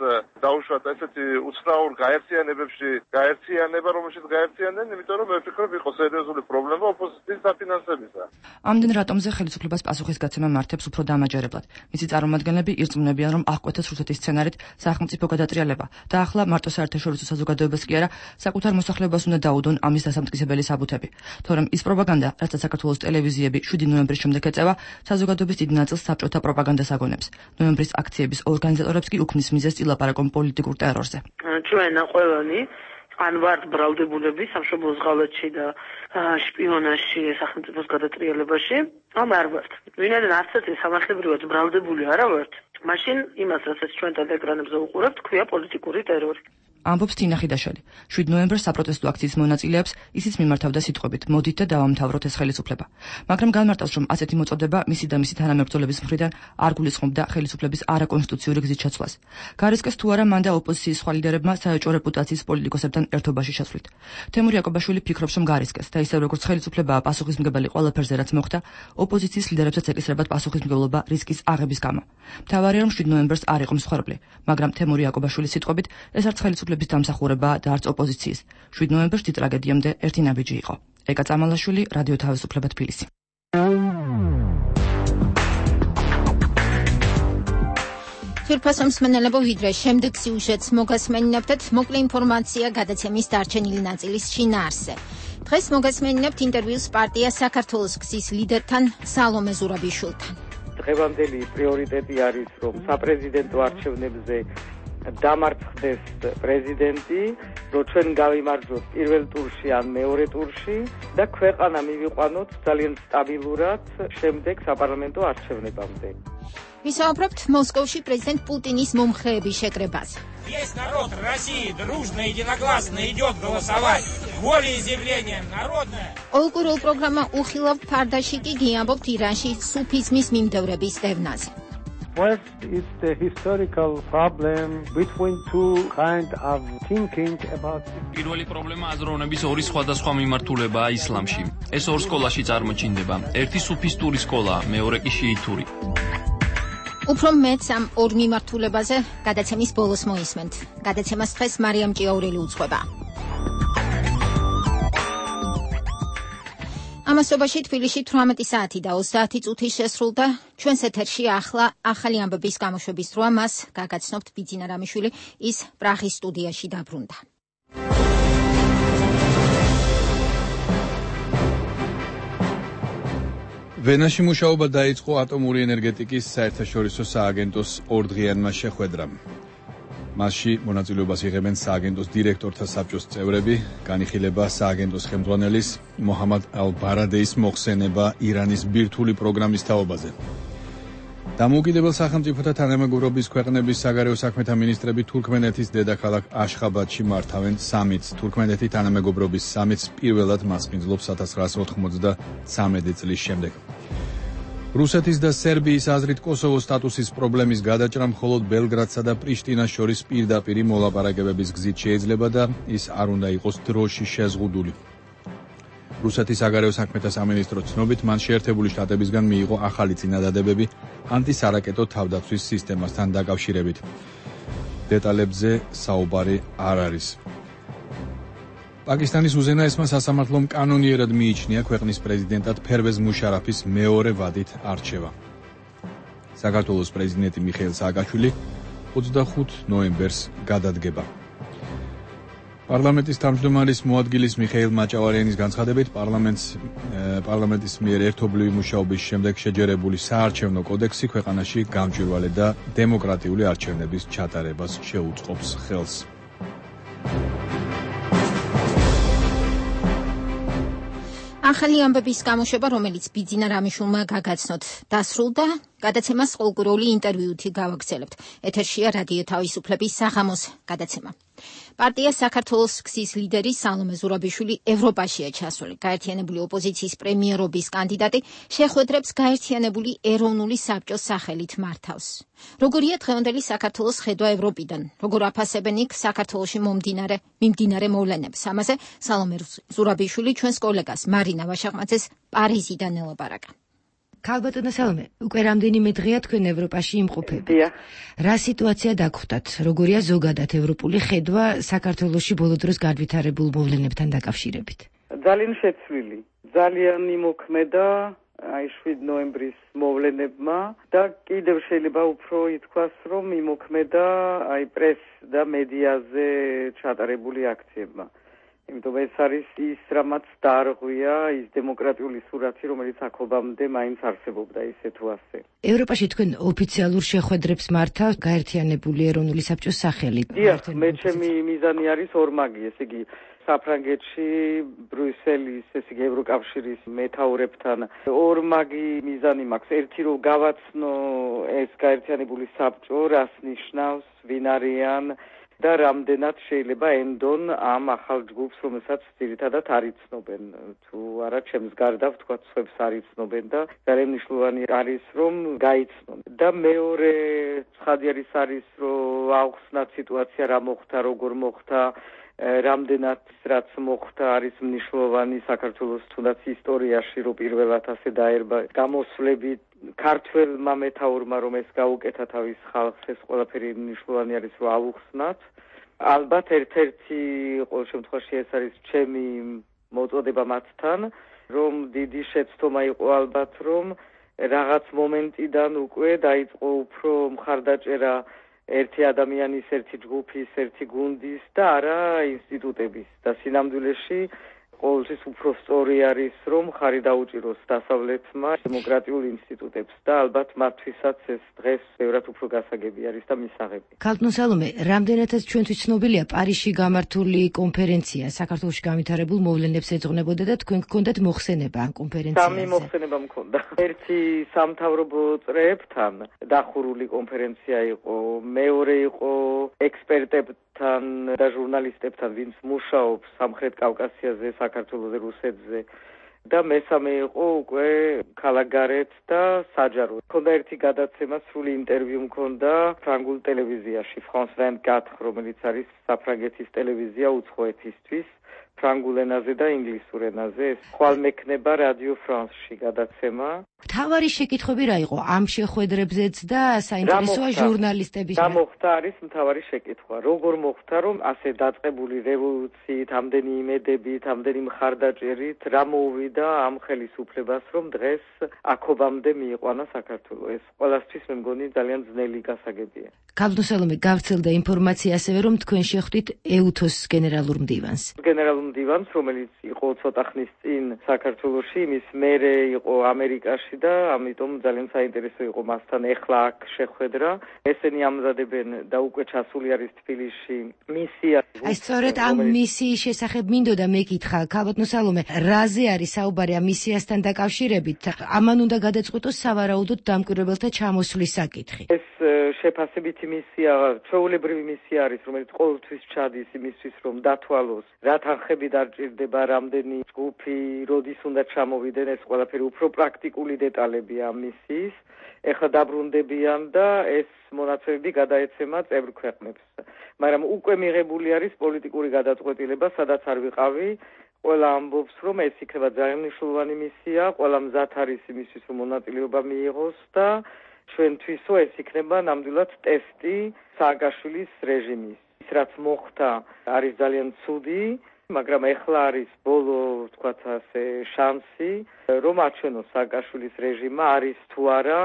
დაუშვათ ესეთი უცნაურ გაერთიანებებში გაერთიანება, რომელშიც გაერთიანდნენ, იმიტომ რომ მე ვფიქრობ, იყო სერიოზული პრობლემა ოპოზიციის დაფინანსებისა. ამდენ რატომზე ხელისუფლებას პასუხისგაცემა მართებს უფრო დამაჯერებლად. მისი წარმომადგენლები ირწმუნებიან, რომ აღკვეთეს რუსეთის სცენარით სახელმწიფო გადატრიალება და ახლა მარტო საერთაშორისო საზოგადოებას კი არა, საკუთარ მოსახლეობას უნდა დაუდონ ამის დასამტკიცებელი საბუთები. თორემ ის პროპაგანდა, რაც საქართველოს ტელევიზიები შვიდი ნოემბრის შემდეგ ეწევა, საზოგადოების დიდ ნაწილს საბჭოთა პროპაგანდას აგონებს. ნოემბრის აქციების ორგანიზატორებს კი უქმნის მიზეზს ილაპარაკონ პოლიტიკურ ტერორზე. ჩვენ ყველანი ან ვართ ბრალდებულები სამშობლოს ღალატში და შპიონაჟში, სახელმწიფოს გადატრიალებაში, ან არ ვართ. ვინაიდან არც ერთი სამართლებრივად ბრალდებული არა ვართ. მაშინ იმას, რასაც ჩვენ ტელეეკრანებზე უყურებთ, ქვია პოლიტიკური ტერორი. ამბობს თინა ხიდაშვილი. შვიდ ნოემბერს საპროტესტო აქციის მონაწილეებს ისიც მიმართავდა სიტყვებით: მოდით და დავამთავროთ ეს ხელისუფლება. მაგრამ განმარტავს, რომ ასეთი მოწოდება მისი და მისი თანამებრძოლების მხრიდან არ გულისხმობდა ხელისუფლების არაკონსტიტუციური გზით შეცვლას. გარისკეს თუ არა მან და ოპოზიციის სხვა ლიდერებმა საეჭვო რეპუტაციის პოლიტიკოსებთან ერთობაში შეცვლით. თემურ იაკობაშვილი ფიქრობს, რომ გარისკეს და ისევ როგორც ხელისუფლებაა პასუხისმგებელი ყველაფერზე, რაც მოხდა, ოპოზიციის ლიდერებსაც ეკისრებათ პასუხისმგებლობა რისკის აღების გამო. მთავარია, რომ შვიდ ნოემბერს არ იყო მსხვერპლი, მაგრამ თემურ იაკობაშვილის სიტყვებით ეს არც ხელისუფლების დამსახურებაა და არც ოპოზიციის. შვიდ ნოემბერს დიდ ტრაგედიამდე ერთი ნაბიჯი იყო. ეკა წამალაშვილი, რადიო თავისუფლება თბილისი. თვითფასო მსმენელებო, ვიდრე შემდეგ სიუჟეტს მოგასმენინებთ, მოკლე ინფორმაცია გადაცემის დარჩენილი ნაწილის შინაარსზე. დღეს მოგასმენინებთ ინტერვიუს პარტია საქართველოს გზის ლიდერთან სალომე ზურაბიშვილთან. დღევანდელი პრიორიტეტი არის, რომ საპრეზიდენტო არჩევნებზე დამარცხდეს პრეზიდენტი, რომ ჩვენ გავიმარჯვოთ პირველ ტურში ან მეორე ტურში და ქვეყანა მივიყვანოთ ძალიან სტაბილურად შემდეგ საპარლამენტო არჩევნებამდე. ვისაუბრებთ მოსკოვში პრეზიდენტ პუტინის მომხრეების შეკრებაზე. Весь народ России дружно и единогласно идет голосовать. Волеизъявление народное. Ოლკურულ პროგრამა უხილავ ფარდაში კი გიამბობთ ირანში სუფიზმის მიმდევრების დევნაზე. First, it's the historical problem between two kind of thinking about. პირველი პრობლემა აზროვნების ორი სხვადასხვა მიმართულებაა ისლამში. ეს ორ სკოლაში წარმოჩინდება. ერთი სუფისტური სკოლა, მეორე კი შიიტური. უფრო მეც ამ ორ მიმართულებაზე გადაცემის ბოლოს მოისმენთ. გადაცემას დღეს მარიამ ჭიაურელი უძღვება. ამასობაში თბილისში თვრამეტი საათი და ოცდაათი წუთი შესრულდა. ჩვენს ეთერში ახლა ახალი ამბების გამოშვების დროა. მას გაგაცნობთ ბიძინა რამიშვილი, ის პრაღის სტუდიაში დაბრუნდა. ვენაში მუშაობა დაიწყო ატომური ენერგეტიკის საერთაშორისო სააგენტოს ორდღიანმა შეხვედრამ. მასში მონაწილეობას იღებენ სააგენტოს დირექტორთა საბჭოს წევრები, განიხილება სააგენტოს ხელმძღვანელის მოჰამად ალ-ბარადეის მოხსენება ირანის ბირთვული პროგრამის თაობაზე. დამოუკიდებელ სახელმწიფოთა თანამეგობრობის ქვეყნების საგარეო საქმეთა მინისტრები თურქმენეთის დედაქალაქ აშხაბადში მართავენ სამიტს. თურქმენეთი თანამეგობრობის სამიტს პირველად მასპინძლობს ათას ცხრაასა ოთხმოცდამეცი წლის შემდეგ. რუსეთის და სერბიის აზრით კოსოვოს სტატუსის პრობლემის გადაჭრა მხოლოდ ბელგრადსა და პრიშტინას შორის პირდაპირი მოლაპარაკებების გზით შეიძლება და ის არ უნდა იყოს დროში შეზღუდული. რუსეთის საგარეო საქმეთა სამინისტროს ცნობით, მან შეერთებული შტატებისგან მიიღო ახალი წინადადებები ანტისარაკეტო თავდაცვის სისტემასთან დაკავშირებით. დეტალებზე საუბარი არ არის. პაკისტანის უზენაესმა სასამართლომ კანონიერად მიიჩნია ქვეყნის პრეზიდენტად ფერვეზ მუშარაფის მეორე ვადით არჩევა. საქართველოს პრეზიდენტი მიხეილ სააკაშვილი ოცდახუთი ნოემბერს გადადგება. პარლამენტის თავმჯდომარის მოადგილის მიხეილ მაჭავარიანის განცხადებით, პარლამენტს პარლამენტის მიერ ერთობლივი მუშაობის შემდეგ შეჯერებული საარჩევნო კოდექსი ქვეყანაში გამჭვირვალე და დემოკრატიული არჩევნების ჩატარებას შეუწყობს ხელს. ახალი ამბების გამოშვება, რომელიც ბიძინა რამიშვილმა გაგაცნოთ, დასრულდა. გადაცემას ყოლგურული ინტერვიუთი გავაგრძელებთ. ეთერშია რადიო თავისუფლების საღამოს გადაცემა. პარტია საქართველოს გზის ლიდერი სალომე ზურაბიშვილი ევროპაშია ჩასული. გაერთიანებული ოპოზიციის პრემიერობის კანდიდატი შეხვედრებს გაერთიანებული ეროვნული საბჭოს სახელით მართავს. როგორია დღევანდელი საქართველოს ხედვა ევროპიდან? როგორ აფასებენ იქ საქართველოში მომდინარე მიმდინარე მოვლენებს? ამაზე სალომე ზურაბიშვილი ჩვენს კოლეგას მარინა ვაშაყმაძეს პარიზიდან ელაპარაკა. ქალბატონო სალომე, უკვე რამდენიმე დღეა თქვენ ევროპაში იმყოფებით. რა სიტუაცია დაგხვდათ? როგორია ზოგადად ევროპული ხედვა საქართველოში ბოლო დროს განვითარებულ მოვლენებთან დაკავშირებით? ძალიან შეცვლილი, ძალიან იმოქმედა აი შვიდ ნოემბრის მოვლენებმა და კიდევ შეიძლება უფრო ითქვას, რომ იმოქმედა აი პრეს და მედიაზე ჩატარებული აქციებმა. იმიტომ ეს არის ის, რამაც დაარღვია ის დემოკრატიული სურათი, რომელიც აქობამდე მაინც არსებობდა ისე თუ ასე. ევროპაში თქვენ ოფიციალურ შეხვედრებს მართავთ გაერთიანებული ეროვნული საბჭოს სახელით. დიახ, მე ჩემი მიზანი არის ორმაგი, ესე იგი საფრანგეთში, ბრიუსელის, ესე იგი ევროკავშირის მეთაურებთან ორმაგი მიზანი მაქვს. ერთი რომ გავაცნო ეს გაერთიანებული საბჭო, რას ნიშნავს, ვინ არიან და რამდენად შეიძლება ენდონ ამ ახალ ჯგუფს, რომელსაც ძირითადად არ იცნობენ, თუ არა ჩემს გარდა ვთქვათ, სხვებს არ იცნობენ და ძალიან მნიშვნელოვანი არის, რომ გაიცნონ. და მეორე ცხადი არის არის, რომ აუხსნათ სიტუაცია რა მოხდა, როგორ მოხდა, რამდენად რაც მოხდა არის მნიშვნელოვანი საქართველოს თუნდაც ისტორიაში, რომ პირველად ასე დაერბა გამოსვლები ქართველმა მეთაურმა, რომ ეს გაუკეთა თავის ხალხს, ეს ყველაფერი მნიშვნელოვანი არის, რომ ავუხსნათ. ალბათ ერთ-ერთი ყოველ შემთხვევაში ეს არის ჩემი მოწოდება მათთან, რომ დიდი შეცდომა იყო ალბათ, რომ რაღაც მომენტიდან უკვე დაიწყო უფრო მხარდაჭერა ერთი ადამიანის, ერთი ჯგუფის, ერთი გუნდის და არა ინსტიტუტების და სინამდვილეში ყოველთვის უფრო სწორი არის, რომ ხარი დაუჭიროს დასავლეთმა დემოკრატიულ ინსტიტუტებს და ალბათ მათთვისაც ეს დღეს ბევრად უფრო გასაგები არის და მისაღები. ქალბატონ სალომე, რამდენადაც ჩვენთვის ცნობილია პარიზში გამართული კონფერენცია საქართველოში განვითარებულ მოვლენებს ეძღვნებოდა და თქვენ გქონდათ მოხსენება ამ კონფერენციაზე. სამი მოხსენება მქონდა. ერთი სამთავრობო წრეებთან დახურული კონფერენცია იყო, მეორე იყო ექსპერტებთან და ჟურნალისტებთან, ვინც მუშაობს სამხრეთ კავკასიაზე, საქართველოზე, რუსეთზე. და მესამე იყო უკვე ქალაქგარეთ და საჯარო. მქონდა ერთი გადაცემა, სრული ინტერვიუ მქონდა ფრანგულ ტელევიზიაში, France vingt-quatre, რომელიც არის საფრანგეთის ტელევიზია უცხო ეთისთვის, ფრანგულ ენაზე და ინგლისურ ენაზე. ეს ხვალ მექნება რადიო ფრანსში გადაცემა. მთავარი შეკითხვები რა იყო ამ შეხვედრებზეც და საინტერესოა ჟურნალისტების. რა მოხდა არის მთავარი შეკითხვა. როგორ მოხდა, რომ ასე დაწყებული რევოლუციით, ამდენი იმედებით, ამდენი მხარდაჭერით რა მოუვიდა ამ ხელისუფლებას, რომ დღეს აქობამდე მიიყვანა საქართველო. ეს ყველასთვის მე მგონი ძალიან ძნელი გასაგებია. ქალბატონ სალომე, გავრცელდა ინფორმაცია ასევე, რომ თქვენ შეხვდით ეუთოს გენერალურ მდივანს. გენერალურ მდივანს, რომელიც იყო ცოტა ხნის წინ საქართველოში, იმის მერე იყო ამერიკაში და ამიტომ ძალიან საინტერესო იყო მასთან ეხლა აქ შეხვედრა. ესენი ამზადებენ და უკვე ჩასული არის თბილისში მისია. აი სწორედ ამ მისიის შესახებ მინდოდა მეკითხა, ქალბატონ სალომე, რაზე არის საუბარი ამ მისიასთან დაკავშირებით? ამან უნდა გადაწყვიტოს სავარაუდოდ დამკვირვებელთა ჩამოსვლის საკითხი. ეს შეფასებითი მისია, ჩვეულებრივი მისია არის, რომელიც ყოველთვის ჩადის იმისთვის, რომ დათვალოს რა თანხები დარჭირდება, რამდენი ჯგუფი, როდის უნდა ჩამოვიდნენ, ეს ყველაფერი უფრო პრაქტიკული დეტალებია ამ მისიის. ეხლა დაბრუნდებიან და ეს მონაცემები გადაეცემა წევრ ქვეყნებს. მაგრამ უკვე მიღებული არის პოლიტიკური გადაწყვეტილება, სადაც არ ვიყავი. ყველა ამბობს, რომ ეს იქნება ძალიან მნიშვნელოვანი მისია, ყველა მზად არის იმისთვის, რომ მონაწილეობა მიიღოს და ჩვენთვისო ეს იქნება ნამდვილად ტესტი სააკაშვილის რეჟიმის. ის რაც მოხდა არის ძალიან ცუდი, მაგრამ ეხლა არის ბოლო, ვთქვათ ასე, შანსი, რომ აჩვენოს სააკაშვილის რეჟიმმა არის თუ არა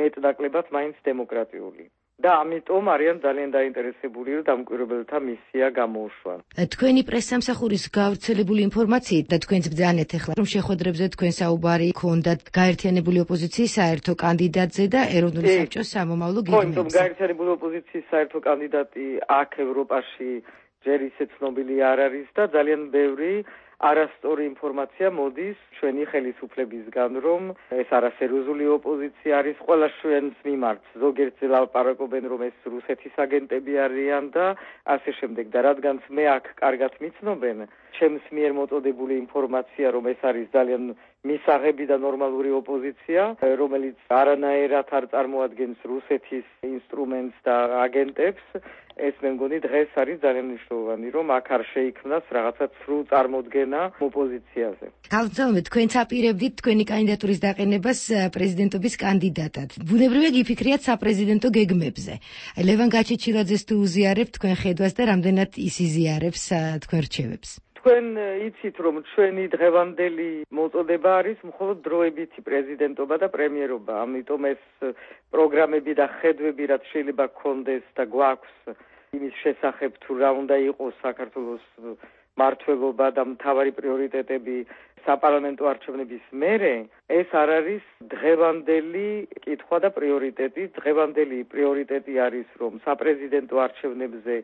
მეტნაკლებად მაინც დემოკრატიული. და ამიტომ არიან ძალიან დაინტერესებული, რომ დამკვირვებელთა მისია გამოუშვან. თქვენი პრესსამსახურის გავრცელებული ინფორმაციით და თქვენც ბრძანეთ ახლა, რომ შეხვედრებზე თქვენ საუბარი ქონდათ გაერთიანებული ოპოზიციის საერთო კანდიდატზე და ეროვნული საბჭოს სამომავლო გეგმებზე. ხო, გაერთიანებული ოპოზიციის საერთო კანდიდატი აქ ევროპაში ჯერ ისე ცნობილი არ არის და ძალიან ბევრი არასწორი ინფორმაცია მოდის ჩვენი ხელისუფლებისგან, რომ ეს არასერიოზული ოპოზიცია არის ყველა ჩვენს მიმართ. ზოგიერთზე ლაპარაკობენ, რომ ეს რუსეთის აგენტები არიან და ასე შემდეგ. და რადგანაც მე აქ კარგად მიცნობენ, ჩემს მიერ მოწოდებული ინფორმაცია, რომ ეს არის ძალიან მისაღები და ნორმალური ოპოზიცია, რომელიც არანაირად არ წარმოადგენს რუსეთის ინსტრუმენტს და აგენტებს, ეს მე მგონი დღეს არის ძალიან მნიშვნელოვანი, რომ აქ არ შეიქმნას რაღაცა ცრუ წარმოდგენა ოპოზიციაზე. ქალბატონო, თქვენც აპირებდით თქვენი კანდიდატურის დაყენებას პრეზიდენტობის კანდიდატად. ბუნებრივია გიფიქრიათ საპრეზიდენტო გეგმებზე. ლევან გაჩეჩილაძეს თუ უზიარებთ თქვენ ხედვას და რამდენად ის იზიარებს თქვენ რჩევებს? თქვენ იცით, რომ ჩვენი დღევანდელი მოწოდება არის მხოლოდ დროებითი პრეზიდენტობა და პრემიერობა. ამიტომ ეს პროგრამები და ხედვები, რაც შეიძლება გქონდეს და გვაქვს იმის შესახებ, თუ რა უნდა იყოს საქართველოს მართლობა და მთავარი პრიორიტეტები საპარლამენტო არჩევნების მერე, ეს არ არის დღევანდელი კითხვა და პრიორიტეტი. დღევანდელი პრიორიტეტი არის, რომ საპრეზიდენტო არჩევნებზე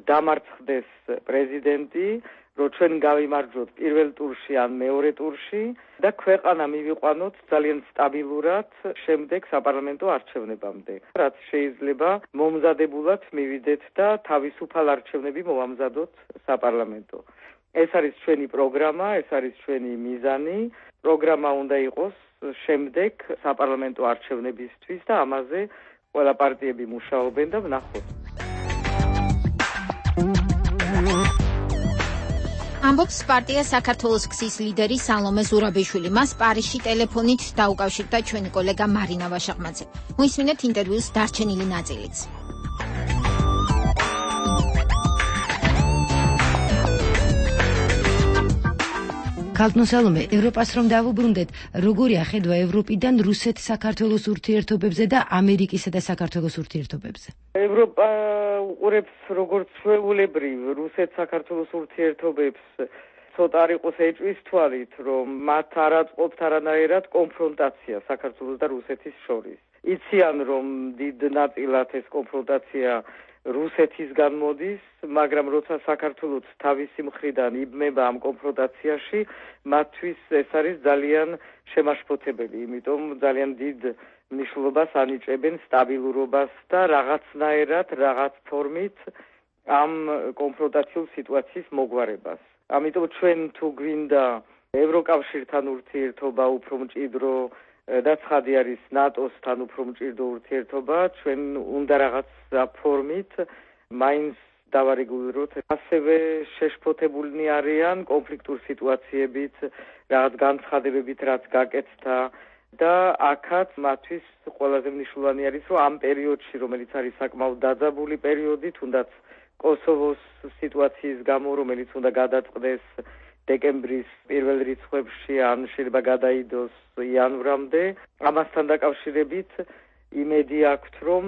დამარცხდეს პრეზიდენტი, რომ ჩვენ გავიმარჯვოთ პირველ ტურში ან მეორე ტურში და ქვეყანა მივიყვანოთ ძალიან სტაბილურად შემდეგ საპარლამენტო არჩევნებამდე. რაც შეიძლება მომზადებულად მივიდეთ და თავისუფალ არჩევნები მოვამზადოთ საპარლამენტო. ეს არის ჩვენი პროგრამა, ეს არის ჩვენი მიზანი. პროგრამა უნდა იყოს შემდეგ საპარლამენტო არჩევნებისთვის და ამაზე ყველა პარტიები მუშაობენ და ვნახოთ. ამბობს პარტია საქართველოს გზის ლიდერი სალომე ზურაბიშვილი. მას პარიზში ტელეფონით დაუკავშირდა ჩვენი კოლეგა მარინა ვაშაღმაძე. მოისმინეთ ინტერვიუს დარჩენილი ნაწილიც. ქალბატონ სალომე, ევროპას რომ დავუბრუნდეთ, როგორია ხედვა ევროპიდან რუსეთ-საქართველოს ურთიერთობებზე და ამერიკისა და საქართველოს ურთიერთობებზე? ევროპა უყურებს როგორც ჩვეულებრივ რუსეთ-საქართველოს ურთიერთობებს ცოტა არ იყოს ეჭვის თვალით, რომ მათ არ აწყობთ არანაირად კონფრონტაცია საქართველოს და რუსეთის შორის. იციან, რომ დიდ ნაწილად ეს კონფრონტაცია რუსეთისგან მოდის, მაგრამ როცა საქართველოს თავისი მხრიდან იბმება ამ კონფრონტაციაში, მათთვის ეს არის ძალიან შემაშფოთებელი, იმიტომ ძალიან დიდ მნიშვნელობას ანიჭებენ სტაბილურობას და რაღაცნაირად, რაღაც ფორმით ამ კონფრონტაციულ სიტუაციის მოგვარებას. ამიტომ ჩვენ თუ გვინდა ევროკავშირთან ურთიერთობა უფრო მჭიდრო და ცხადი არის ნატოსთან უფრო მჭიდრო ურთიერთობა, ჩვენ უნდა რაღაც ფორმით მაინც დავარეგულიროთ. ასევე შეშფოთებულნი არიან კონფლიქტურ სიტუაციებით, რაღაც განცხადებებით, რაც გაკეთდა და აქაც მათთვის ყველაზე მნიშვნელოვანი არის, რომ ამ პერიოდში, რომელიც არის საკმაოდ დაძაბული პერიოდი, თუნდაც კოსოვოს სიტუაციის გამო, რომელიც უნდა გადაწყდეს დეკემბრის პირველ რიცხვებში, ან შეიძლება გადაიდოს იანვრამდე, ამასთან დაკავშირებით იმედი აქვთ, რომ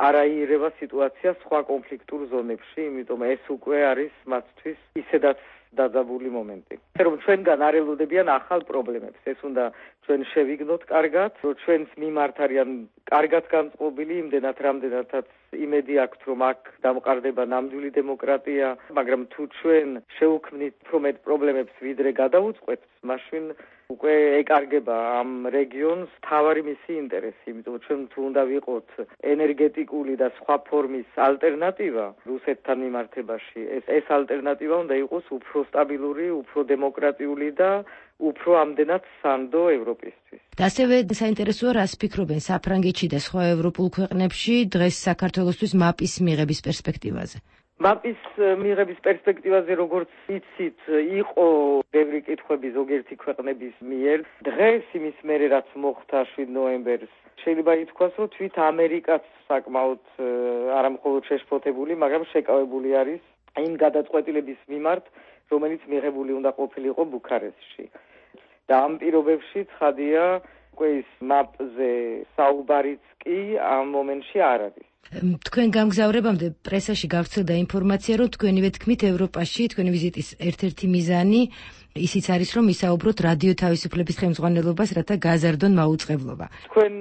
არაიერება სიტუაცია სხვა კონფლიქტურ ზონებში, იმიტომ ეს უკვე არის მათთვის ისედაც დაძაბული მომენტი. რომ ჩვენგან არ ელოდებიან ახალ პრობლემებს, ეს უნდა ჩვენ შევიგნოთ კარგად, რომ ჩვენს მიმართ არიან კარგად განწყობილი, იმდენად რამდენადაც იმედი აქვთ, რომ აქ დამყარდება ნამდვილი დემოკრატია, მაგრამ თუ ჩვენ შევუქმნით უფრო მეტ პრობლემებს ვიდრე გადავუწყვეტთ, მაშინ უკვე ეკარგება ამ რეგიონს თავარი მისი ინტერესი, იმიტომ ჩვენ თუ უნდა ვიყოთ ენერგეტიკული და სხვა ფორმის ალტერნატივა რუსეთთან მიმართებაში, ეს ეს ალტერნატივა უნდა იყოს უფრო სტაბილური, უფრო დემოკრატიული და უფრო ამდენად სანდო ევროპისთვის. და ასევე საინტერესოა, რას ფიქრობენ საფრანგეთში და სხვა ევროპულ ქვეყნებში დღეს საქართველოსთვის მაპის მიღების პერსპექტივაზე. მაპის მიღების პერსპექტივაზე, როგორც იცით, იყო ბევრი კითხვები ზოგიერთი ქვეყნების მიერ. დღეს იმის მერე, რაც მოხდა შვიდ ნოემბერს, შეიძლება ითქვას, რომ თვით ამერიკაც საკმაოდ არამხოლოდ შეშფოთებული, მაგრამ შეკავებული არის იმ გადაწყვეტილების მიმართ, რომელიც მიღებული უნდა ყოფილიყო ბუქარესტში. და ამ პირობებში ცხადია, უკვე ის მაპზე საუბარიც კი ამ მომენტში არ არის. თქვენ გამგზავრებამდე პრესაში გავრცელდა ინფორმაცია, რომ თქვენივე თქმით ევროპაში თქვენი ვიზიტის ერთ-ერთი მიზანი ისიც არის, რომ ისაუბროთ რადიო თავისუფლების ხელმძღვანელობას, რათა გაზარდონ მაუწყებლობა. თქვენ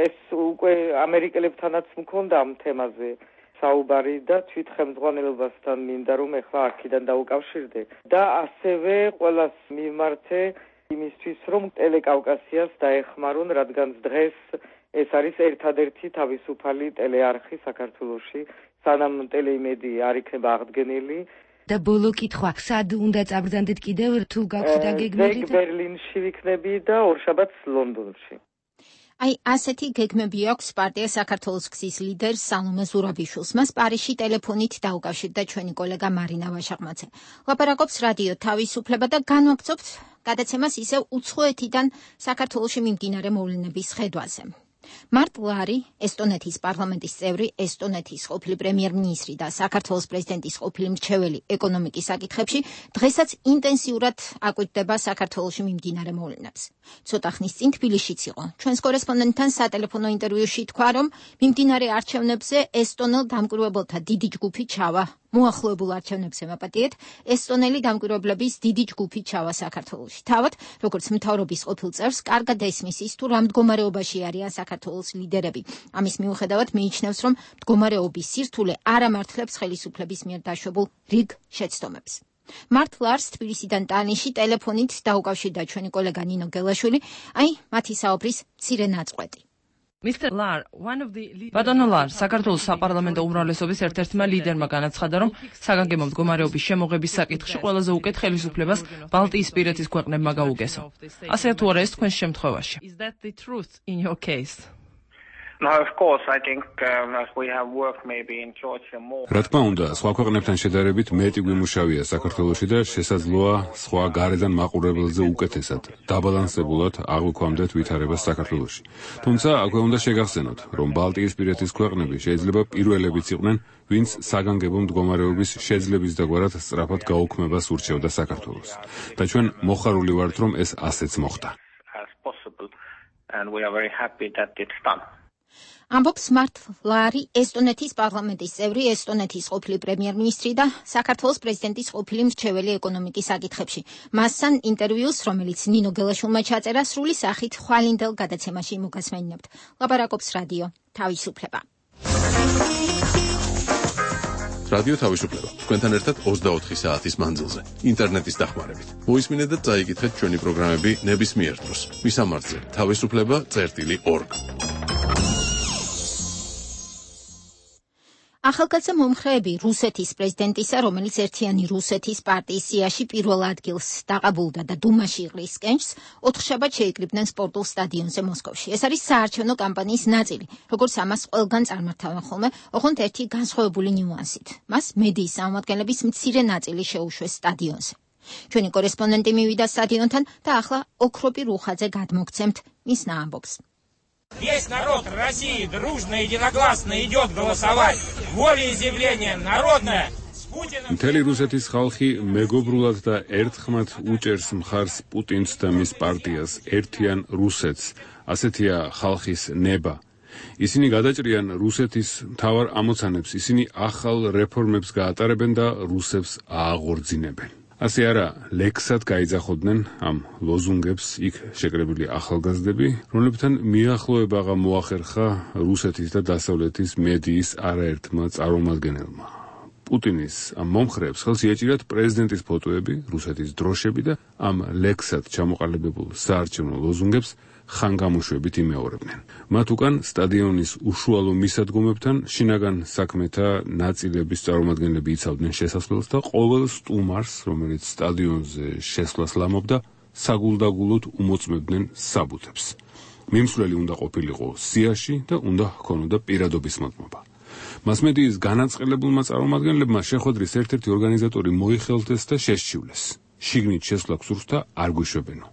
ეს უკვე ამერიკელებთანაც მქონდა ამ თემაზე საუბარი და თვით ხელმძღვანელობასთან მინდა რომ ეხლა აქედან დაუკავშირდე. და ასევე ყველას მიმართე იმისთვის, რომ ტელეკავკასიას დაეხმარონ, რადგან დღეს ეს არის ერთადერთი თავისუფალი ტელეარხი საქართველოში, სანამ ტელეიმედი არ იქნება აღდგენილი. და ბოლო კითხვა, სად უნდა წაბრძანდეთ კიდევ, თუ გაქვთ დაგეგმილი? ბერლინში ვიქნები და ორშაბათს ლონდონში. აი, ასეთი გეგმები აქვს პარტია საქართველოს გზის ლიდერ სალომე ზურაბიშვილს. მას პარიზში ტელეფონით დაუკავშირდა ჩვენი კოლეგა მარინა ვაშაღმაძე. ლაპარაკობს რადიო თავისუფლება და განვაგრძობთ გადაცემას ისევ უცხოეთიდან საქართველოში მიმდინარე მოვლენების ხედვაზე. მარტ ლარი, ესტონეთის პარლამენტის წევრი, ესტონეთის ყოფილი პრემიერ-მინისტრი და საქართველოს პრეზიდენტის ყოფილი მრჩეველი ეკონომიკის საკითხებში, დღესაც ინტენსიურად აკვირდება საქართველოში მიმდინარე მოვლენებს. ცოტა ხნის წინ თბილისშიც იყო. ჩვენს კორესპონდენტთან სატელეფონო ინტერვიუში თქვა, რომ მიმდინარე არჩევნებზე ესტონელ დამკვირვებელთა დიდი ჯგუფი ჩავა. მოახლოებულ არჩევნებს ემაპატიეთ, ესტონელი დამკვირვებლების დიდი ჯგუფი ჩავა საქართველოში. თავად, როგორც მთავრობის ყოფილ წევრს, კარგად ესმის ის, თუ რა მდგომარეობაში არიან საქართველოს ლიდერები. ამის მიუხედავად მიიჩნევს, რომ მდგომარეობის სირთულე არ ამართლებს ხელისუფლების მიერ დაშვებულ რიგ შეცდომებს. მართ ლარს თბილისიდან ტალინში ტელეფონით დაუკავშირდა ჩვენი კოლეგა ნინო გელაშვილი, აი, მათი საუბრის მცირე ნაწყვეტი. ბატონო ლარ, საქართველოს საპარლამენტო უმრავლესობის ერთ-ერთმა ლიდერმა განაცხადა, რომ საგანგებო მდგომარეობის შემოღების საკითხში ყველაზე უკეთ ხელისუფლებას ბალტიისპირეთის ქვეყნებმა გაუგესო. ასე თუ არა ეს თქვენს შემთხვევაში? No, of course, I think um, as we have worked maybe in Georgia more. რა თქმა უნდა, სხვა ქვეყნებთან შედარებით მეტი გვიმუშავია საქართველოში და შესაძლოა სხვა გარედან მაყურებელზე უკეთესად, დაბალანსებულად აღვიქვამდეთ ვითარებას საქართველოში. თუმცა, აქვე უნდა შეგახსენოთ, რომ ბალტიისპირეთის ქვეყნები შეიძლება პირველებიც იყვნენ, ვინც საგანგებო მდგომარეობის შეძლების დაგვარად სწრაფად გაუქმებას ურჩევდა საქართველოს. და ჩვენ მოხარული ვართ, რომ ეს ასეც მოხდა. As possible, and we are very happy that it's done. ამბობს მართლარი ესტონეთის პარლამენტის წევრი, ესტონეთის ყოფილი პრემიერ-მინისტრი და საქართველოს პრეზიდენტის ყოფილი მრჩეველი ეკონომიკის საკითხებში. მასთან ინტერვიუს, რომელიც ნინო გელაშვილმა ჩაწერა, სრული სახით ხვალინდელ გადაცემაში მოგასმენინებთ. ლაპარაკობს რადიო თავისუფლება. რადიო თავისუფლება. თქვენთან ერთად ოცდაოთხი საათის მანძილზე, ინტერნეტის დახმარებით. მოისმინეთ და წაიკითხეთ ჩვენი პროგრამები ნებისმიერ დროს. მისამართზე თავისუფლება წერტილი ორგ. ახალგაზრდა მომხრეები რუსეთის პრეზიდენტისა, რომელიც ერთიანი რუსეთის პარტიის სიაში პირველ ადგილს დაყაბულდა და დუმაში იყრის კენჭს, ოთხშაბათ შეიკრიბნენ სპორტულ სტადიონზე მოსკოვში. ეს არის საარჩევნო კამპანიის ნაწილი, როგორც ამას ყველგან წარმართავენ ხოლმე, ოღონდ ერთი განსხვავებული ნიუანსით. მას მედიის წარმომადგენლების მცირე ნაწილი შეუშვეს стадионზე. ჩვენი კორესპონდენტი მივიდა სტადიონთან და ახლა ოქროპი რუხაძე გადმოგცემთ მის ნაამბობს. Весь народ России дружно и единогласно идет голосовать. Волеизъявление народное. მთელი რუსეთის ხალხი მეგობრულად და ერთხმად უჭერს მხარს პუტინს და მის პარტიას, ერთიან რუსეთს. ასეთია ხალხის ნება. ისინი გადაჭრიან რუსეთის მთავარ ამოცანებს, ისინი ახალ რეფორმებს გაატარებენ და რუსებს ააღორძინებენ. ასე არა, ლექსად გაიძახოდნენ ამ ლოზუნგებს იქ შეკრებილი ახალგაზრდები, რომლებთან მიახლოება მოახერხა რუსეთის და დასავლეთის მედიის არაერთმა წარმომადგენელმა. პუტინის ამ მომხრეებს ხელს იეჭირათ პრეზიდენტის ფოტოები, რუსეთის დროშები და ამ ლექსად ჩამოყალიბებულ საარჩევნო ლოზუნგებს ხანგამოშვებით იმეორებდნენ. მათ უკან სტადიონის უშუალო მისადგომებთან შინაგან საქმეთა ნაწილების წარმომადგენლები იცავდნენ შესასვლელს და ყოველ სტუმარს, რომელიც სტადიონზე შესვლას ლამობდა, საგულდაგულოდ უმოწმებდნენ საბუთებს. მიმსვლელი უნდა ყოფილიყო სიაში და უნდა ჰქონოდა პირადობის მოწმობა. მასმედიის განაწყელებულმა წარმომადგენლებმა შეხვედრის ერთ-ერთი ორგანიზატორი მოიხელთეს და შესჩივლეს. შიგნით შესვლა გსურს და არ გვიშვებენო.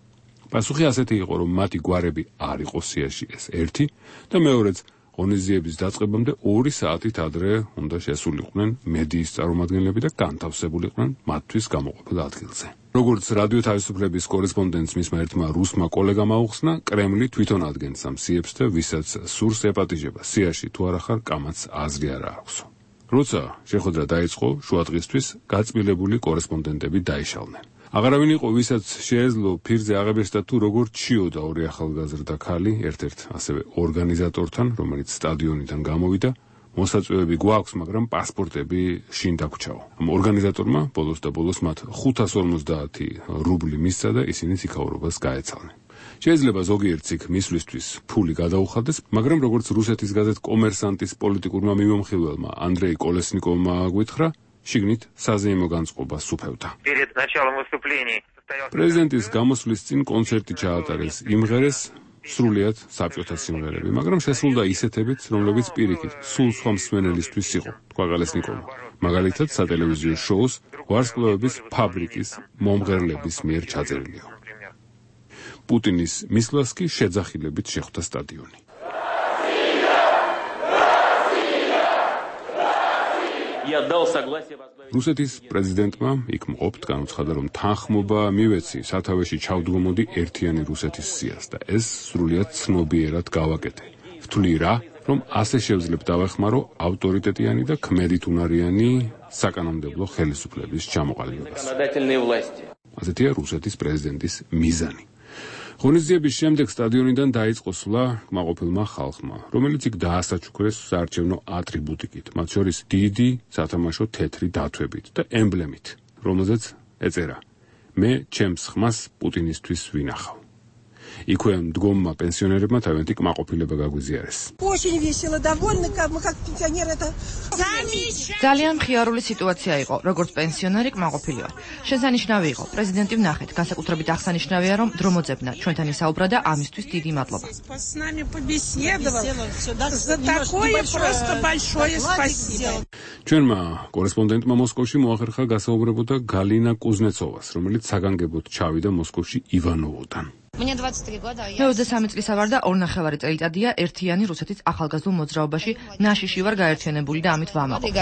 პასუხი ასეთი იყო, რომ მათი გვარები არ იყო სიაში, ეს ერთი და მეორეც ღონისძიების დაწყებამდე ორი საათით ადრე უნდა შესულიყვნენ მედიის წარმომადგენლები და განთავსებულიყვნენ მათთვის გამოყოფილ ადგილზე. როგორც რადიო თავისუფლების კორესპონდენტს მისმა ერთმა რუსმა კოლეგამ აუხსნა, კრემლი თვითონ ადგენს ამ სიებს და ვისაც სურს ეპატიჟება სიაში თუ არა ხარ, კამაც აზრი არ აქვსო. როცა შეხვედრა დაიწყო, შუადღისთვის გაწმილებული კორესპონდენტები დაიშალნენ. აღარავინ იყო, ვისაც შეეძლო ფირზე აღებესდა თუ როგორ ჩიოდა ორი ახალგაზრდა ქალი ერთ-ერთ ასევე ორგანიზატორთან, რომელიც სტადიონიდან გამოვიდა. მოსაწვევები გვაქვს, მაგრამ პასპორტები შინ დაგვრჩაო. ამ ორგანიზატორმა ბოლოს და ბოლოს მათ ხუთას ორმოცდაათი რუბლი მისცა და ისინი იქაურობას გაეცალნენ. შეიძლება ზოგიერთს იქ მისვლისთვის ფული გადაუხადეს, მაგრამ როგორც რუსეთის გაზეთ კომერსანტის პოლიტიკურმა მიმომხილველმა ანდრეი კოლესნიკოვმა გვითხრა, შიგნით საზეიმო განწყობა სუფევდა. პრეზიდენტის გამოსვლის წინ კონცერტი ჩაატარეს, იმღერეს სრულიად საბჭოთა სიმღერები, მაგრამ შესრულდა ისეთებიც, რომლებიც პირიქით სულ სხვა მსმენელისთვის იყო, თქვა კოლესნიკოვმა. მაგალითად, სატელევიზიო შოუს ვარსკვლავების ფაბრიკის მომღერლების მიერ ჩაწერილი. პუტინის მისვლას კი შეძახილებით შეხვდა სტადიონი. რუსეთის პრეზიდენტმა იქ მყოფთ განუცხადა, რომ თანხმობა მივეცი სათავეში ჩავდგომოდი ერთიანი რუსეთის სიას და ეს სრულიად ცნობიერად გავაკეთე. ვთვლი რა, რომ ასე შევძლებ დავეხმარო ავტორიტეტიანი და ქმედითუნარიანი საკანონმდებლო ხელისუფლების ჩამოყალიბებას. ასეთია რუსეთის პრეზიდენტის მიზანი. ღონისძიების შემდეგ სტადიონიდან დაიწყო სვლა კმაყოფილმა ხალხმა, რომელიც იქ დაასაჩუქრეს საარჩევნო ატრიბუტიკით, მათ შორის დიდი სათამაშო თეთრი დათვებით და ემბლემით, რომელზეც ეწერა: მე ჩემს ხმას პუტინისთვის ვინახავ. იქვე მდგომმა პენსიონერებმა თავიანთი კმაყოფილება გაგვიზიარეს. ძალიან მხიარული სიტუაცია იყო, როგორც პენსიონერი კმაყოფილი ვარ. შესანიშნავი იყო, პრეზიდენტი ვნახეთ, განსაკუთრებით აღსანიშნავია, რომ დრო მოძებნა, ჩვენთან ისაუბრა და ამისთვის დიდი მადლობა. ჩვენმა კორესპონდენტმა მოსკოვში მოახერხა გასაუბრებოდა გალინა კუზნეცოვას, რომელიც საგანგებოდ ჩავიდა მოსკოვში ივანოვოდან. მე ოცდასამი წლისა ვარ და ორნახევარი წელიწადია ერთიანი რუსეთის ახალგაზრდულ მოძრაობაში ნაშიში ვარ გაერთიანებული და ამით ვამაყობ.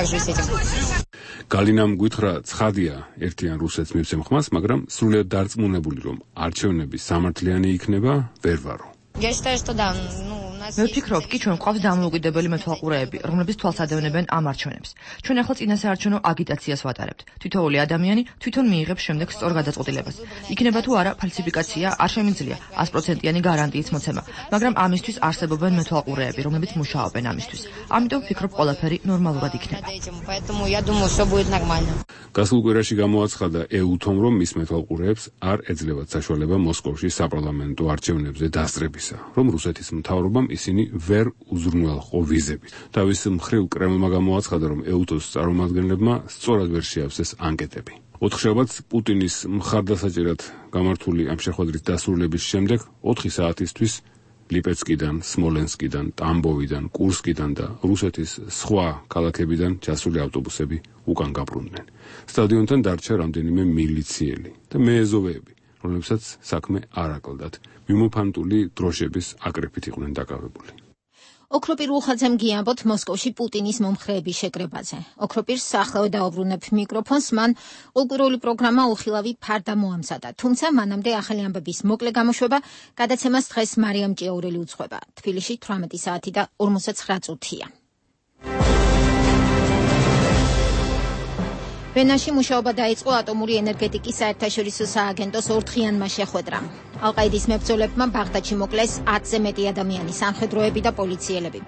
გალინამ გვითხრა, ცხადია ერთიან რუსეთს მივცემ ხმას, მაგრამ სრულიად დარწმუნებული, რომ არჩევნები სამართლიანი იქნება, ვერ ვარო. მე ვფიქრობ, კი ჩვენ გვყავს დამოუკიდებელი მეთვალყურეები, რომლებიც თვალს ადევნებენ ამ არჩევნებს. ჩვენ ახლა წინასაარჩევნო აგიტაციას ვატარებთ. თითოეული ადამიანი თვითონ მიიღებს შემდეგ სწორ გადაწყვეტილებას. იქნება თუ არა ფალსიფიკაცია, არ შემიძლია sto პროცენტიანი გარანტიის მოცემა, მაგრამ ამისთვის არსებობენ მეთვალყურეები, რომლებიც მუშაობენ ამისთვის. ამიტომ ვფიქრობ, ყველაფერი ნორმალურად იქნება. გასულ კვირაში გამოაცხადა ეუთომ, რომ მის მეთვალყურეებს არ ეძლევათ საშუალება მოსკოვში საპარლამენტო არჩევნებზე დასწრებისა, რომ რუსეთის მთავრობამ ისინი ვერ უზრუნველყო ვიზებით. თავის მხრივ კრემლმა გამოაცხადა, რომ ეუთოს წარმომადგენლებმა სწორად ვერ შეავსეს ანკეტები. ოთხშაბათს პუტინის მხარდასაჭერად გამართული ამ შეხვედრის დასრულების შემდეგ ოთხი საათისთვის ლიპეცკიდან, სმოლენსკიდან, ტამბოვიდან, კურსკიდან და რუსეთის სხვა ქალაქებიდან ჩასული ავტობუსები უკან გაბრუნდნენ. სტადიონთან დარჩა რამდენიმე მილიციელი და მეეზოვეები, რომლებსაც საქმე არ აკლდათ. მიმოფანტული დროშების აკრეფით იყვნენ დაკავებული. ოქროპირ უხაძემ გიამბოთ მოსკოვში პუტინის მომხრეების შეკრებაზე. ოქროპირს სახელო დაუბრუნებ მიკროფონს, მან ყოველკვირეული პროგრამა უხილავი ფარდა მოამზადა. თუმცა მანამდე ახალი ამბების მოკლე გამოშვება გადაცემას დღეს მარიამ ჭიაურელი უძღვება. თბილისში თვრამეტი საათი და ორმოცდაცხრა წუთია. ვენაში მუშაობა დაიწყო ატომური ენერგეტიკის საერთაშორისო სააგენტოს ორდღიანმა შეხვედრამ. ალ-ყაიდის მებრძოლებმა ბაღდადში მოკლეს ათზე მეტი ადამიანი, სამხედროები და პოლიციელები.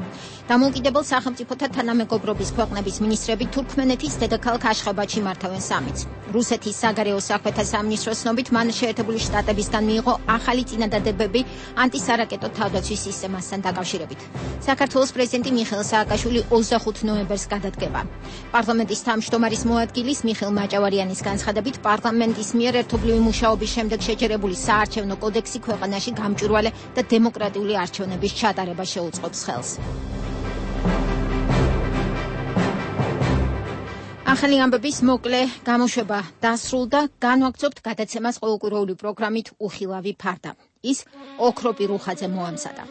დამოუკიდებელ სახელმწიფოთა თანამეგობრობის ქვეყნების მინისტრები თურქმენეთის დედაქალაქ აშხაბადში მართავენ სამიტს. რუსეთის საგარეო საქმეთა სამინისტროს ცნობით, მან შეერთებული შტატებისგან მიიღო ახალი წინადადებები ანტისარაკეტო თავდაცვის სისტემასთან დაკავშირებით. საქართველოს პრეზიდენტი მიხეილ სააკაშვილი ოცდახუთ ნოემბერს გადადგება. პარლამენტის თავმჯდომარის მოადგილის მიხეილ მაჭავარიანის განცხადებით, პარლამენტის მიერ ერთობლივი მუშაობის შემდეგ შეჯერებული საარჩევნო კოდექსი ქვეყანაში გამჭვირვალე და დემოკრატიული არჩევნების ჩატარება შეუწყობს ხელს. ახალი ამბების მოკლე გამოშვება დასრულდა, განვაგრძობთ გადაცემას ყოველკვირეული პროგრამით უხილავი ფარდა. ის ოქროპირ უხაძემ მოამზადა.